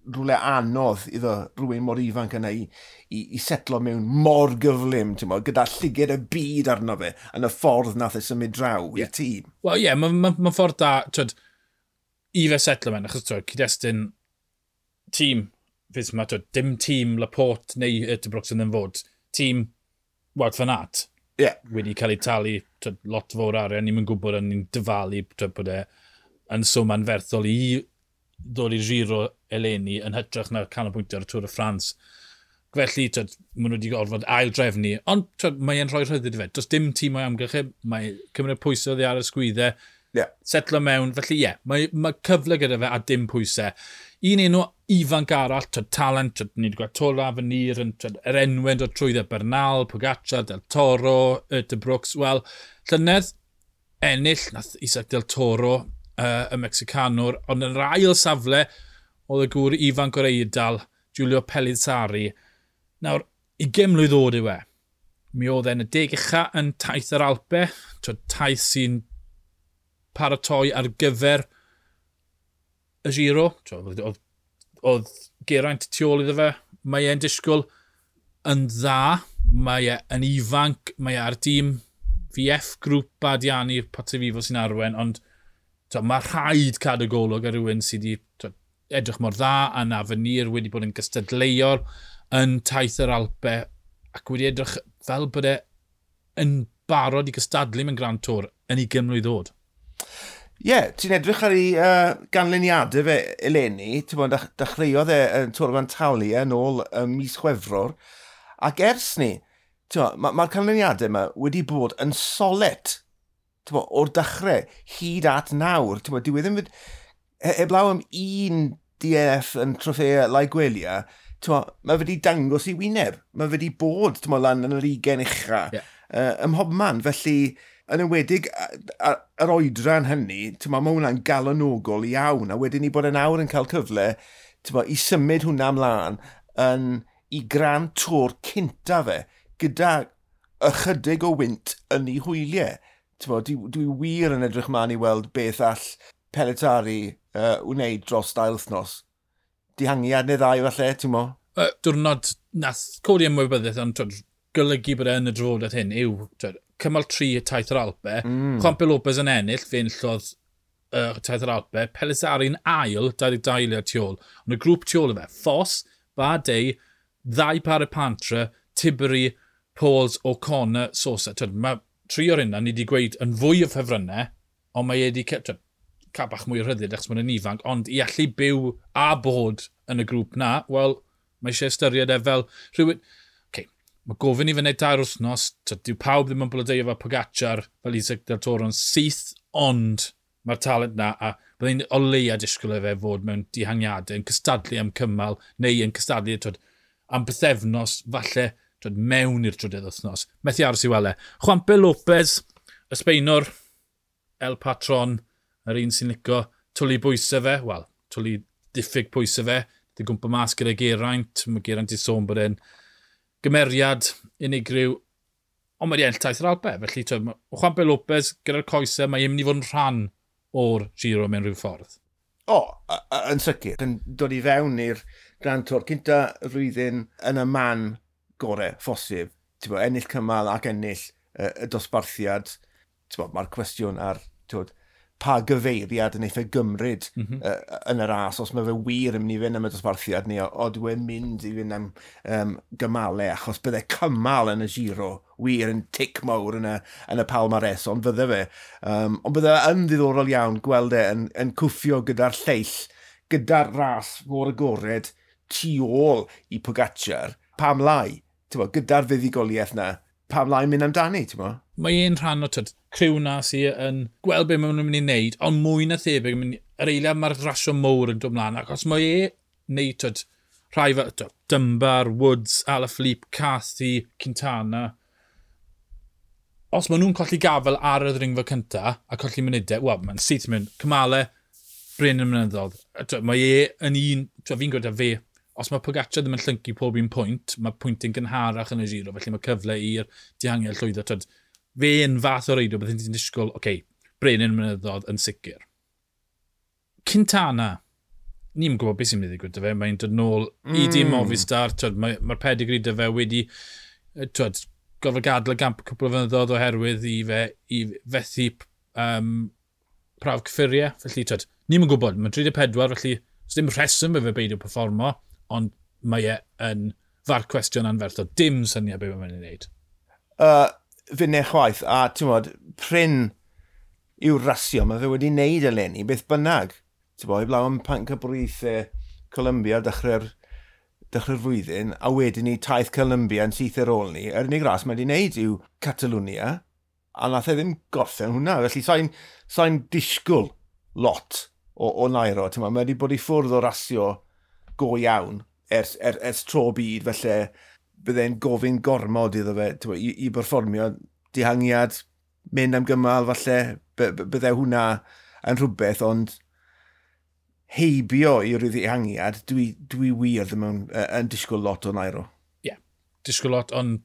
rhywle anodd iddo rhywun mor ifanc yna i, i, i setlo mewn mor gyflym, ti'n gyda llyged y byd arno fe yn y ffordd nath e symud draw yeah. i'r tîm. Wel ie, yeah, mae'n ma, ma ffordd da, twyd, i fe setlo mewn, achos twyd, cyd-destun tîm Visma, twyd, dim tîm Laporte neu Uterbrooks yn ddim fod, tîm Wout van Aert yeah. wedi cael ei talu twyd, lot fawr arian, ni'n gwybod yn ni'n dyfalu twyd, bod e yn swm anferthol i ddod i Giro eleni yn hytrach na canolbwyntio ar y Tour de France. Felly, twyd, maen nhw wedi gorfod ail drefnu, ond twyd, mae e'n rhoi rhyddid i fe. Does dim tîm o'i amgylch e, mae cymryd pwysau oddi ar y sgwyddau, yeah. setlo mewn, felly ie, yeah, mae, mae cyfle gyda fe a dim pwysau. Un enw ifanc arall, twyd, talent, twyd, ni wedi gweld Tour Avenir, yn, twyd, yr enwau yn dod trwyddo Bernal, Pogacar, Del Toro, Uterbrooks, wel, llynedd ennill, nath Isaac Del Toro, uh, y Mexicanwr, ond yn yr ail safle, oedd y gŵr ifanc o'r Eidal, Giulio Pellizzari. Nawr, ugain mlwydd oed yw e. Mi oedd e'n y deg ucha yn taith yr Alpe, twyd, taith sy'n paratoi ar gyfer y Giro. Twyd, oedd, oedd Geraint tu ôl iddo fe. Mae e'n disgwyl yn dda. Mae e yn ifanc. Mae e ar dîm V F Group Bardiani Pozzovivo sy'n arwen, ond twyd, mae rhaid cadw golwg ar rhywun sydd wedi twyd, edrych mor dda, a na Avenir wedi bod yn gystadleuol yn taith yr Alpe ac wedi edrych fel bod e yn barod i gystadlu mewn Grand Tour yn ugain mlwydd oed. Ie, yeah, ti'n edrych ar ei uh, ganlyniadau fe eleni, ti'n bod, dechreuodd e yn Tour of Antalya yn ôl ym mis Chwefror, ac ers ni, mae'r ma, ma canlyniadau yma wedi bod yn solet, ti'n bod, o'r dechrau hyd at nawr, ti'n bod, dyw e ddim heblaw am un D N F yn Trofeo Laigueglia, mae wedi dangos i wyneb, mae wedi bod ti'n bod, lan yn yr ugain ucha, yeah. uh, ym mhobman, felly yn enwedig yr oedran hynny, ti'n bod, mae hwnna'n galonogol iawn, a wedyn ni bod yn awr yn cael cyfle ti'n bod, i symud hwnna ymlaen yn i Grand Tour cynta fe, gyda ychydig o wynt yn ei hwyliau. Ti'n bod, dwi, dwi wir yn edrych mlaen i weld beth all Pellizzari uh, wneud dros dair wythnos. Dihangiad neu ddau falle, ti'n mo? Uh, diwrnod nath codi ymwybyddiaeth, ond twyd, golygu bod e yn y drafodaeth hyn yw twyd, cymal tri taith yr Alpe, mm. Juanpe Lopez yn ennill, fe enillodd uh, taith yr Alpe, Pellizzari'n ail, dau ddeg dau eiliad tu ôl. Ond y grŵp tu ôl i fe, Foss, Bardet, ddau Paret-Peintre, Tiberi, Pauls, O'Connor, Sosa. Twyd, mae tri o'r hynna ni wedi gweud yn fwy o ffefrynnau, ond mae wedi twyd, cael bach mwy o rhyddid achos mae'n ifanc, ond i allu byw a bod yn y grŵp na, wel, mae eisiau ystyried e fel rhywun... Okay, mae gofyn i fe wneud tair wythnos, dyw pawb ddim yn blodeuo fel Pogacar, fel Isaac Del Toro'n syth, ond mae'r talent na, a byddai'n o leia disgwyl i fe fod mewn dihangiadau, yn cystadlu am cymal, neu yn cystadlu twyd, am bythefnos, falle twyd, mewn i'r trydydd wythnos. Methu aros i weld e. Juanpe Lopez, y Sbeinwr, El Patron, yr un sy'n licio twlu bwysau fe, wel, twlu diffyg pwysau fe, di gwmpa mas gyda Geraint, mae Geraint i sôn bod e'n gymeriad unigryw, ond mae wedi ennill taith yr Alpe, felly twyd, Juanpe Lopez gyda'r coesau, mae e'n mynd i fod yn rhan o'r Giro mewn rhyw ffordd. O, yn sicr, yn dod i fewn i'r Grand Tour cynta y flwyddyn yn y man gore phosib, ti'n bod, ennill cymal ac ennill uh, y dosbarthiad, ti'n bod, mae'r cwestiwn ar, ti'n bod, pa gyfeiriad yn eitha gymryd mm -hmm. uh, yn y ras, os mae fe wir yn mynd i fynd am y dosbarthiad ni, o dwi e'n mynd i fynd am um, gymalau, achos bydde cymal yn y Giro wir yn tic mawr yn y, yn y palmares, ond fydde fe. Um, ond bydde yn ddiddorol iawn gweld e yn, yn cwffio gyda'r lleill, gyda'r ras mor agored tu ôl i Pogacar, pam lai, bo, gyda'r fuddugoliaeth na, pam lai mynd amdani, ti'n bo? Mae un rhan o tyd, criw na sydd yn gweld be maen nhw'n mynd i wneud, ond mwy na thebyg, mynd, yr eiliad mae'r rasio mowr yn dod mlaen, ac os mae e neu tyd, rhai fel tyd, Dunbar, Woods, Alaphilippe, Carthy, Quintana, os maen nhw'n colli gafel ar y ddringfa cynta a colli munudau, wel, mae'n syth yn mynd, cymale, Bryn yn mynyddodd. Mae e yn un, fi'n gwybod fe, os mae Pogacar ddim yn llyncu pob un pwynt, mae pwyntyn gynharach yn y Giro, felly mae cyfle i'r dihangiad llwyddo. Twyd, fe yn fath o reidio, byddai'n ti'n disgwyl, oce, okay, Brenin mynyddodd yn sicr. Quintana, ni'n gwybod beth sy'n mynd i ddigwydd fe, mae'n dod nôl mm. i dîm Movistar, twyd, mae'r mae pedigree dy fe wedi, twyd, gorfod gadael y gamp cwpl o flynyddoedd oherwydd i fe i fethu um, prawf cyffuriau, felly twyd, ni'n gwybod, mae'n tri deg pedwar, felly dim rheswm i fe beidio performo, ond mae e yn farc cwestiwn anferthol. Dim syniad beth mae'n ei wneud. Uh, Finne chwaith, a ti'n bod, prin yw'r rasio, mae fe wedi wneud eleni, beth bynnag. Ti'n bod, heblaw am pencampwriaethau Colombia dechrau'r dechrau'r flwyddyn, a wedyn ni taith Colombia yn syth ar ôl ni. Yr unig ras mae wedi wneud yw Catalwnia, a nath e ddim gorffen hwnna. Felly sa'n sa'n disgwyl lot o, o Nairo. Ti'n bod, mae wedi bod i ffwrdd o rasio go iawn ers, er, ers tro byd, felly bydde'n gofyn gormod iddo fe bo, i, i berfformio dihangiad, mynd am gymal falle, bydde hwnna yn rhywbeth, ond heibio i ryw ddihangiad, dwi, dwi wir ddim yn, yn disgwyl lot o Nairo. Ie, yeah, disgwyl lot, ond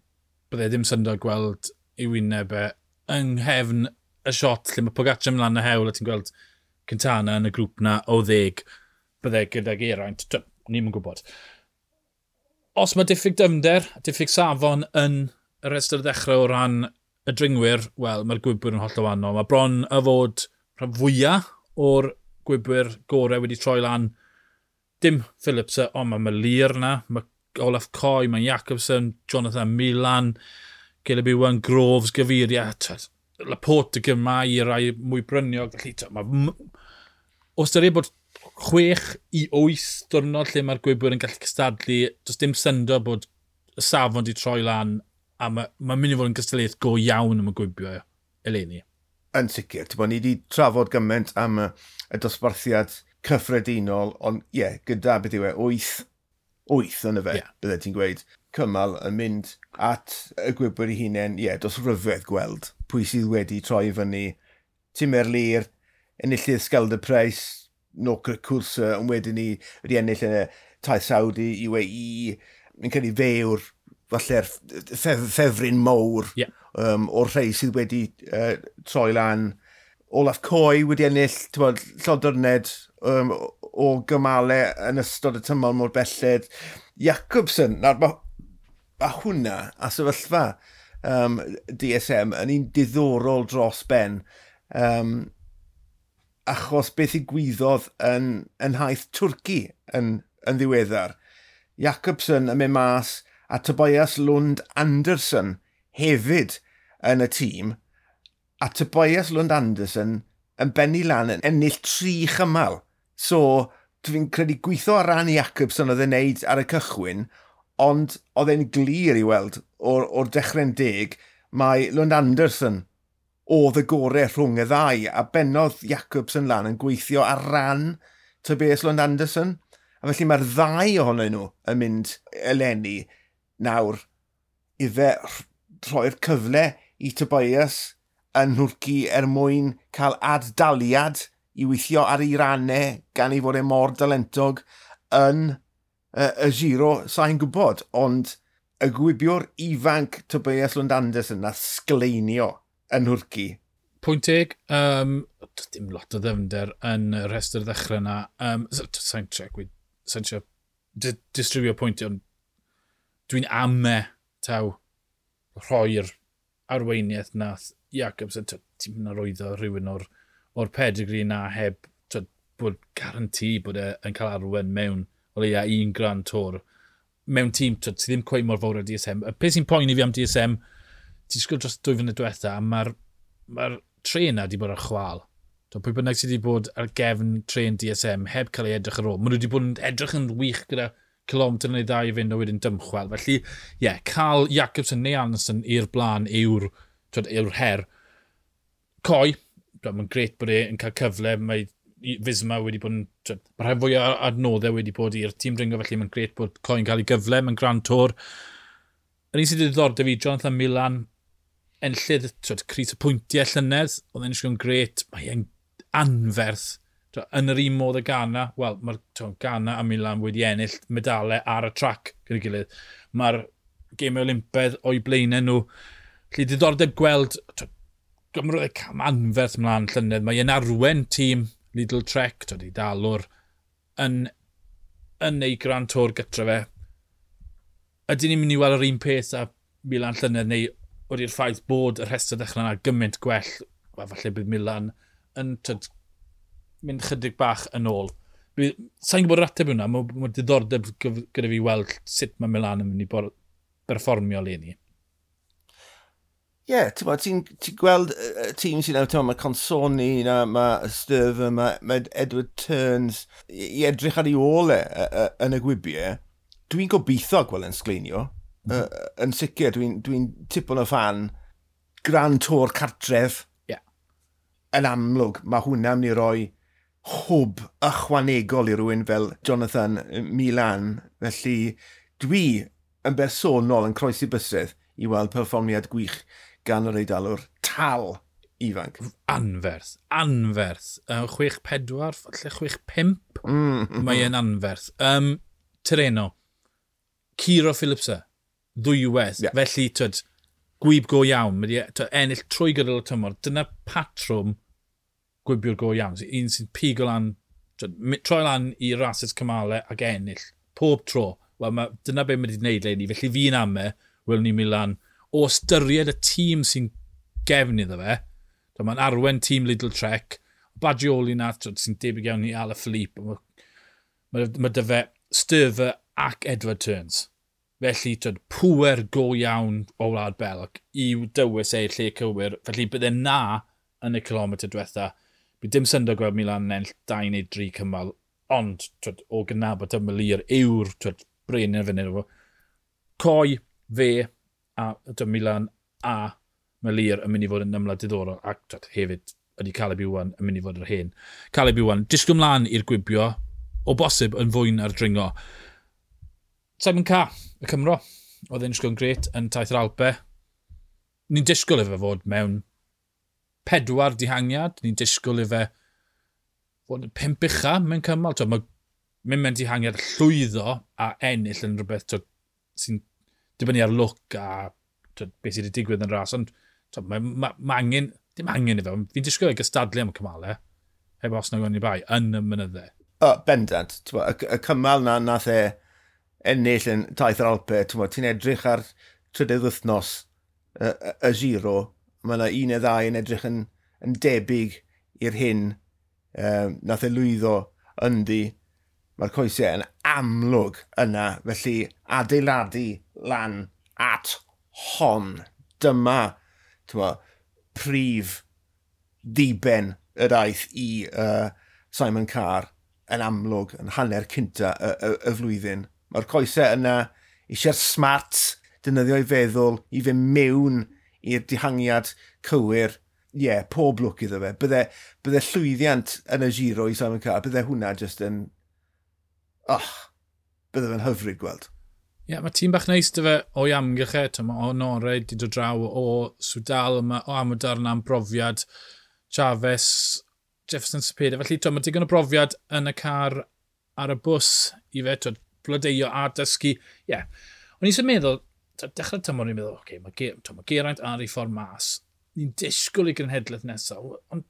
bydde ddim syndod gweld ei wyneb e yng nghefn y siot lle mae Pogacar yn lan y hewl a ti'n gweld Quintana yn y grŵp na o ddeg, bydde gyda Geraint, ni'n yn gwybod. Os mae diffyg dyfnder, diffyg safon yn y rhestr ddechrau o ran y dringwyr, wel, mae'r gwybwyr yn hollol wahanol. Mae bron y fod rhan fwyaf o'r gwybwyr gorau wedi troi lan. Dim Phillips, ond mae Merlier na, mae Olaf Coy, mae Jacobsen, Jonathan Milan, Caleb Ewan, Groves, Gaviria, Laporte y gymau i rai mwy bryniog. Felly, mae... O ystyried bod chwech i wyth diwrnod lle mae'r gwybwyr yn gallu cystadlu, does dim syndod bod y safon di troi lan, a mae ma mynd i fod yn gystadleuaeth go iawn am y gwybio eleni. Yn sicr, ti'n bod, ni wedi trafod gymaint am y, y dosbarthiad cyffredinol, ond ie, yeah, gyda beth yw e, wyth, wyth yn y fe, yeah. Bydde ti'n gweud, cymal yn mynd at y gwybwyr ei hunain, ie, yeah, dos ryfedd gweld pwy sydd wedi troi fyny. Tim Merlier, enillydd Scheldeprijs, Nokere Koerse, ond wedyn ni wedi ennill yn y Taith Saudi, U A E, mi'n credu fe yw'r falle'r ffef, ffefryn mowr yeah. um, o'r rhai sydd wedi uh, troi lan. Olaf Coy wedi ennill bod, llodyrned um, o gymalau yn ystod y tymor mor belled. Jacobsen, nawr mae ma hwnna a sefyllfa um, D S M yn un diddorol dros ben. Um, achos beth ddigwyddodd yn, yn haith Twrci yn, yn ddiweddar. Jacobsen yn mynd mas a Tobias Lund Andersen hefyd yn y tîm, a Tobias Lund Andersen yn bennu lan yn ennill tri chymal. So, dwi'n credu gweithio ar ran Jacobsen oedd e'n neud ar y cychwyn, ond oedd e'n glir i weld o'r, o'r dechrau'n deg, mae Lund Andersen oedd y gorau rhwng y ddau, a bennodd Jacobsen lan yn gweithio ar ran Tobias Lund Andersen. A felly mae'r ddau ohonyn nhw yn mynd eleni nawr i fe rhoi'r cyfle i Tobias yn Nhwrci er mwyn cael ad-daliad i weithio ar ei rannau gan ei fod e mor dalentog yn y, y Giro, sa'n gwybod, ond y gwibiwr ifanc Tobias Lund Andersen na sgleinio yn Nhwrci. Pwynt teg, um, dim lot o ddyfnder yn y rhestr ddechrau na. Um, sa'n trio, sa'n trio distribio pwyntiau, ond dwi'n ame taw rhoi'r arweiniaeth nath Jacobsen. Ti'n mynd arwyddo rhywun o'r, o'r pedigree na heb twyd, bod guarantee bod e yn cael arwen mewn o leia un Grand Tour mewn tîm twyd, sydd ddim cweit mor fawr â D S M. Y peth sy'n poeni fi am D S M, ti'n disgwyl dros dwy flynedd diwetha, a mae'r mae'r trên na wedi bod ar chwal. Twyd, pwy bynnag sydd wedi bod ar gefn trên D S M heb cael ei edrych ar ôl. Maen nhw wedi bod yn edrych yn wych gyda kilometr neu ddau i fynd a wedyn dymchwel. Felly, ie, yeah, cael Jakobsen neu Andersen i'r blaen yw'r yw'r her. Kooij, mae'n grêt bod e yn cael cyfle, mae Visma wedi bod yn... Mae rhai fwy o adnoddau wedi bod i'r tîm dringo, felly mae'n grêt bod Kooij yn cael ei gyfle, mae'n Grand Tour. Yr un sydd wedi diddordeb i Jonathan Milan, enillydd, twyd, crys y pwyntiau llynedd, oedd e'n disgwyl yn grêt, mae e'n anferth. Twyd, yn yr un modd y Ghana, wel, mae'r Ghana a Milan wedi ennill medalau ar y trac gyda'i gilydd. Mae'r Gemau Olympaidd o'i blaenau nhw. Felly diddordeb gweld, twyd, gymrodd e cam anferth mlaen llynedd, mae e'n arwen tîm Lidl Trek, twyd, ei dalwr, yn, yn ei Grand Tour gytre fe. Ydyn ni'n mynd i weld yr un peth â Milan llynedd, neu wedi'r ffaith bod y rhestr ddechrau yna gymaint gwell, wel, falle bydd Milan yn twyd, mynd chydig bach yn ôl. Sa'n gwybod yr ateb hwnna, mae, mae diddordeb gyda fi weld sut mae Milan yn mynd i bor, berfformio leni. Ie, yeah, ti'n ti, ti gweld y tîm sy'n nawr, mae Consoni, na, mae Sturver, mae, mae Edward Turns, i edrych ar ei ôl e yn y gwybiau. Dwi'n gobeithio gweld yn sgleinio. Mm. Uh, yn sicr, dwi'n dwi tipyn o fan Grand Tour cartref. Yeah. Yn amlwg, mae hwnna'n mynd i roi hwb ychwanegol i rywun fel Jonathan Milan. Felly, dwi yn bersonol yn croesi bysedd i weld perfformiad gwych gan yr Eidalwr tal ifanc. Anferth, anferth. Uh, chwech pedwar, falle chwech pump. Mm. Mae e'n anferth. Um, Tirreno, Ciro Philipse, ddwywaith. Yeah. Felly, twyd, gwyb go iawn. Mae wedi twyd, ennill trwy gydol y tymor. Dyna patrwm gwybiwr go iawn. Un sy'n pigo lan, twyd, troi lan i rasys cymalau ac ennill. Pob tro. Wel, ma, dyna be mae wedi gwneud leni. Felly fi'n ame, welwn ni Milan, o ystyried y tîm sy'n gefn iddo fe, mae'n arwen tîm Lidl Trek, Bagioli na, sy'n debyg iawn i Alaphilippe, mae ma, ma dy fe Sturver ac Edward Turns. Felly, twyd, pŵer go iawn o Wlad Belg i'w dywys e i'r lle cywir. Felly, bydde na yn y kilometr diwetha. Bydd dim syndod gweld Milan yn ennill dau neu dri cymal, ond twyd, o gydnabod y Merlier yw'r twyd, brenin ar fyny. Kooij, fe, a twyd, Milan a Merlier yn mynd i fod yn ymladd diddorol, ac twyd, hefyd ydy Caleb Ewan yn mynd i fod yr hen. Caleb Ewan, disgwyl mlaen i'r gwibio, o bosib yn fwy na'r dringo. Simon Carr, y Cymro, oedd e'n disgwyl yn grêt yn taith yr Alpe. Ni'n disgwyl iddo fe fod mewn pedwar dihangiad, ni'n disgwyl iddo fe fod yn pump ucha mewn cymal. Twyd, mae mynd mewn dihangiad llwyddo a ennill yn rhywbeth twyd, sy'n dibynnu ar lwc a twyd, beth sydd wedi digwydd yn ras, ond twyd, mae, ma, ma angen, dim angen iddo fe, fi'n disgwyl ei gystadlu am y cymalau, heb os na gwn i bai, yn y mynyddau. O, bendant. Y, y cymal na nath e ennill yn taith yr Alpe, ti'n edrych ar trydydd wythnos y, y, y Giro, mae yna un neu ddau yn edrych yn, yn debyg i'r hyn um, nath e lwyddo ynddi. Mae'r coesau yn amlwg yna, felly adeiladu lan at hon. Dyma t'mo, prif ddiben y daith i uh, Simon Carr yn amlwg yn hanner cynta y, y, y flwyddyn. Mae'r coesau yna eisiau'r smart defnyddio i feddwl i fynd mewn i'r dihangiad cywir. Ie, yeah, pob lwc iddo fe. Bydde, bydde llwyddiant yn y Giro i Simon Carr, bydde hwnna just yn... Oh, bydde fe'n hyfryd gweld. Ie, yeah, mae tîm bach neis dy fe o'i amgylch e. Mae Honore wedi dod draw o Swdal, mae o Amodar am brofiad, Chavez, Jefferson Cepeda. Felly, to, mae digon o brofiad yn y car ar y bws i fe, to, blodeuo a dysgu. Ie, yeah. O'n i'n meddwl, to, dechrau tymor ni'n meddwl, oce, okay, mae, to, mae Geraint ar ei ffordd mas. Ni'n disgwyl i genhedlaeth nesaf, ond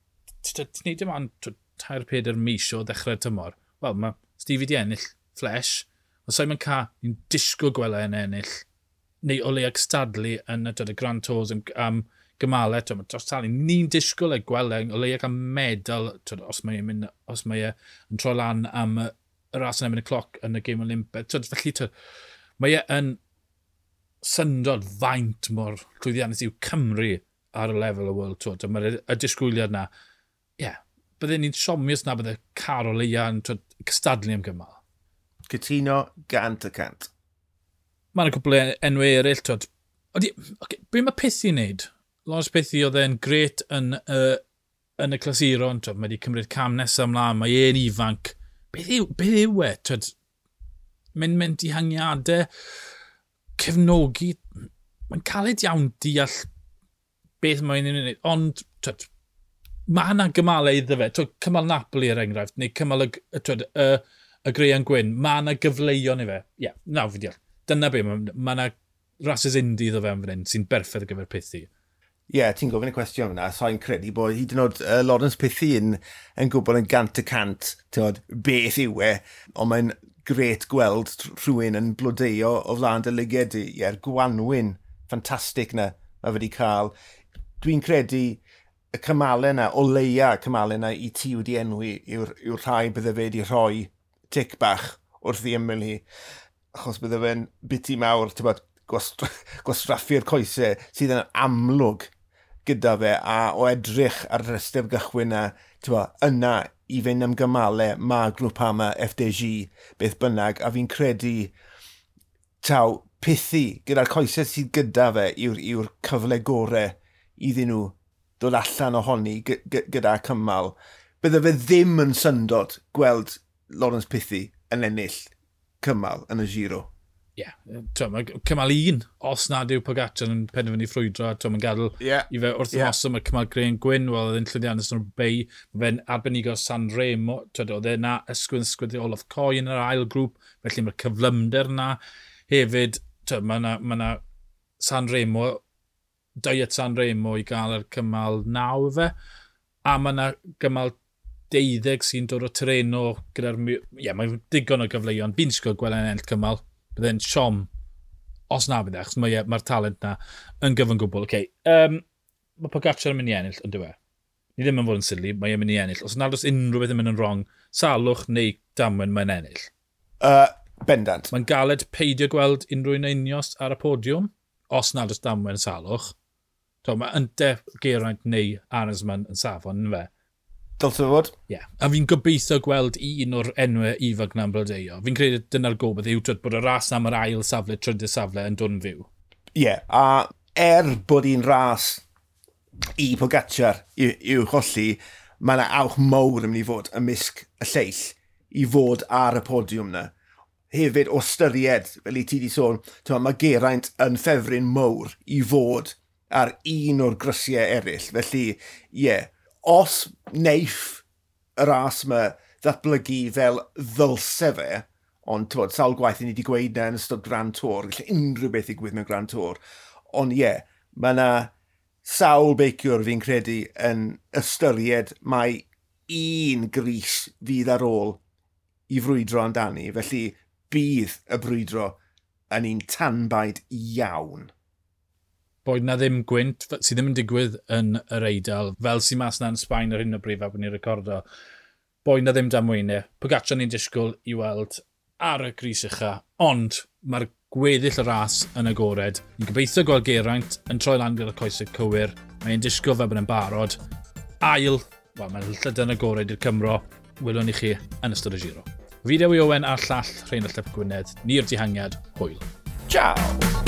ti'n neud dim ond tair pedair mis o ddechrau tymor. Wel, mae Stevie di ennill Flesh, ond Simon Carr, ni'n disgwyl gweld e'n ennill, neu o leia cystadlu yn y, y Grand Tours am, am gymalau, twyd, mae dros talu, ni'n disgwyl e gweld e, o leia cael medal, twyd, os mae e'n mynd, os mae e yn troi lan am y ras yn erbyn y cloc yn y Gêm Olympaidd. Twyd, felly, twyd, mae e yn syndod faint mor llwyddiannus yw Cymru ar y lefel y World Tour. Mae'r y disgwyliad na, ie, yeah, bydden ni'n siomi os na bydde Carol Leia yn twyd, cystadlu am gymal. Cytuno gant y cant. Mae yna cwpl o enwau eraill, twyd. Odi, okay, be mae Pithie wneud? Laurence Pithie oedd e'n gret yn, uh, yn y clasuron, twyd, mae wedi cymryd cam nesaf ymlaen, mae e'n ifanc. Beth yw, beth yw e? Twyd, mynd mewn dihangiadau, cefnogi, mae'n caled iawn deall beth mae'n ei wneud, ond twyd, mae yna gymalau iddo fe. Twyd, cymal Napoli er enghraifft, neu cymal y, twyd, y, y Greian Gwyn, mae yna gyfleuon i fe. Ie, yeah, nawr fi deall. Dyna be, mae ma yna rhasys indi iddo fe am fan hyn sy'n berffaith ar gyfer Pithie. Ie, yeah, ti'n gofyn y cwestiwn fyna, so i'n credu bod hyd yn oed uh, Laurence Pithie yn, yn gwybod yn gant y cant, ti'n beth yw e, ond mae'n gret gweld rhywun yn blodeuo o flaen dy lyged di. Ie'r gwanwyn ffantastig na mae fe wedi cael. Dwi'n credu y cymalau na, o leia y cymalau na i ti wedi enwi yw'r yw rhai bydde fe wedi rhoi tic bach wrth i ymyl hi. Achos bydde fe'n biti mawr, ti'n bod, gwastraffu'r coesau sydd yn amlwg gyda fe a o edrych ar y rhestr gychwyn na, ti'n bod, yna i fynd am gymalau mae Groupama F D G beth bynnag, a fi'n credu taw Pithie gyda'r coesau sydd gyda fe yw'r yw cyfle gorau iddyn nhw dod allan ohoni gy gy gyda cymal. Bydde fe ddim yn syndod gweld Laurence Pithie yn ennill cymal yn y Giro. Ie, yeah, mae cymal un, os nad yw Pogacar yn penderfynu ffrwydro, mae'n gadael yeah. i fe wrth yeah. ymosod, mae cymal Green Gwyn, wel, oedd e'n llwyddiannus yn Roubaix, mae fe'n arbenigo San Remo, twyd, oedd e na ysgwyd ysgwyd Olaf Coy yn yr ail grŵp, felly mae'r cyflymder na. Hefyd, twyd, mae na, ma na San Remo, diet San Remo i gael yr cymal naw fe, a mae na gymal deuddeg sy'n dod o Tirreno gyda'r... Ie, yeah, mae'n digon o gyfleuon. Fi'n disgwyl gweld e'n ennill cymal. Bydde'n siom os na bydde, achos mae'r mae talent na yn gyfan gwbl. Okay. Um, mae Pogacar yn mynd i ennill, ond dyw e. Ni ddim yn fod yn silly, mae e'n mynd i ennill. Os nad oes unrhyw beth yn mynd yn wrong, salwch neu damwen, mae'n ennill. Uh, bendant. Mae'n galed peidio gweld unrhyw un Ineos ar y podiwm, os nad oes damwen salwch. To, mae ynte Geraint neu Arensman yn safon, yn fe? Dylse fod. Ie. Yeah. A fi'n gobeithio gweld un o'r enwau ifanc na'n blodeuo. Fi'n credu dyna'r gobaith yw twyd, bod y ras am yr ail safle, trydydd safle yn dod yn fyw. Ie, yeah, a er bod hi'n ras i Pogacar i'w cholli, mae yna awch mawr yn mynd i fod ymysg y lleill i fod ar y podiwm na. Hefyd, o styried, fel i ti di sôn, tyma, mae Geraint yn ffefryn mawr i fod ar un o'r grisiau eraill. Felly, ie, yeah, os neiff y ras yma ddatblygu fel ddylse fe, ond tywod, sawl gwaith i ni wedi gweud na yn ystod Grand Tour, gallai unrhyw beth ddigwydd mewn Grand Tour, ond ie, yeah, mae yna sawl beiciwr fi'n credu yn ystyried mai un gris fydd ar ôl i frwydro amdani, felly bydd y brwydro yn un tanbaid iawn. Boed na ddim gwynt, sydd ddim yn digwydd yn yr Eidal, fel sy'n mas na yn Sbaen ar hyn o bryd fel bod ni'n recordo. Boed na ddim damweinau. Pogacar ni'n disgwyl i weld ar y gris ucha, ond mae'r gweddill y ras yn agored. Ni'n gobeithio gweld Geraint yn troi lan gyda'r coesau cywir. Mae'n disgwyl fel bod yn barod. Ail, wel, mae'n llydan agored i'r Cymro. Welwn ni chi yn ystod y Giro. Fi Dewi Owen a'r llall Rheinallt Ap Gwynedd. Ni'r Dihangiad. Hwyl. Ciao!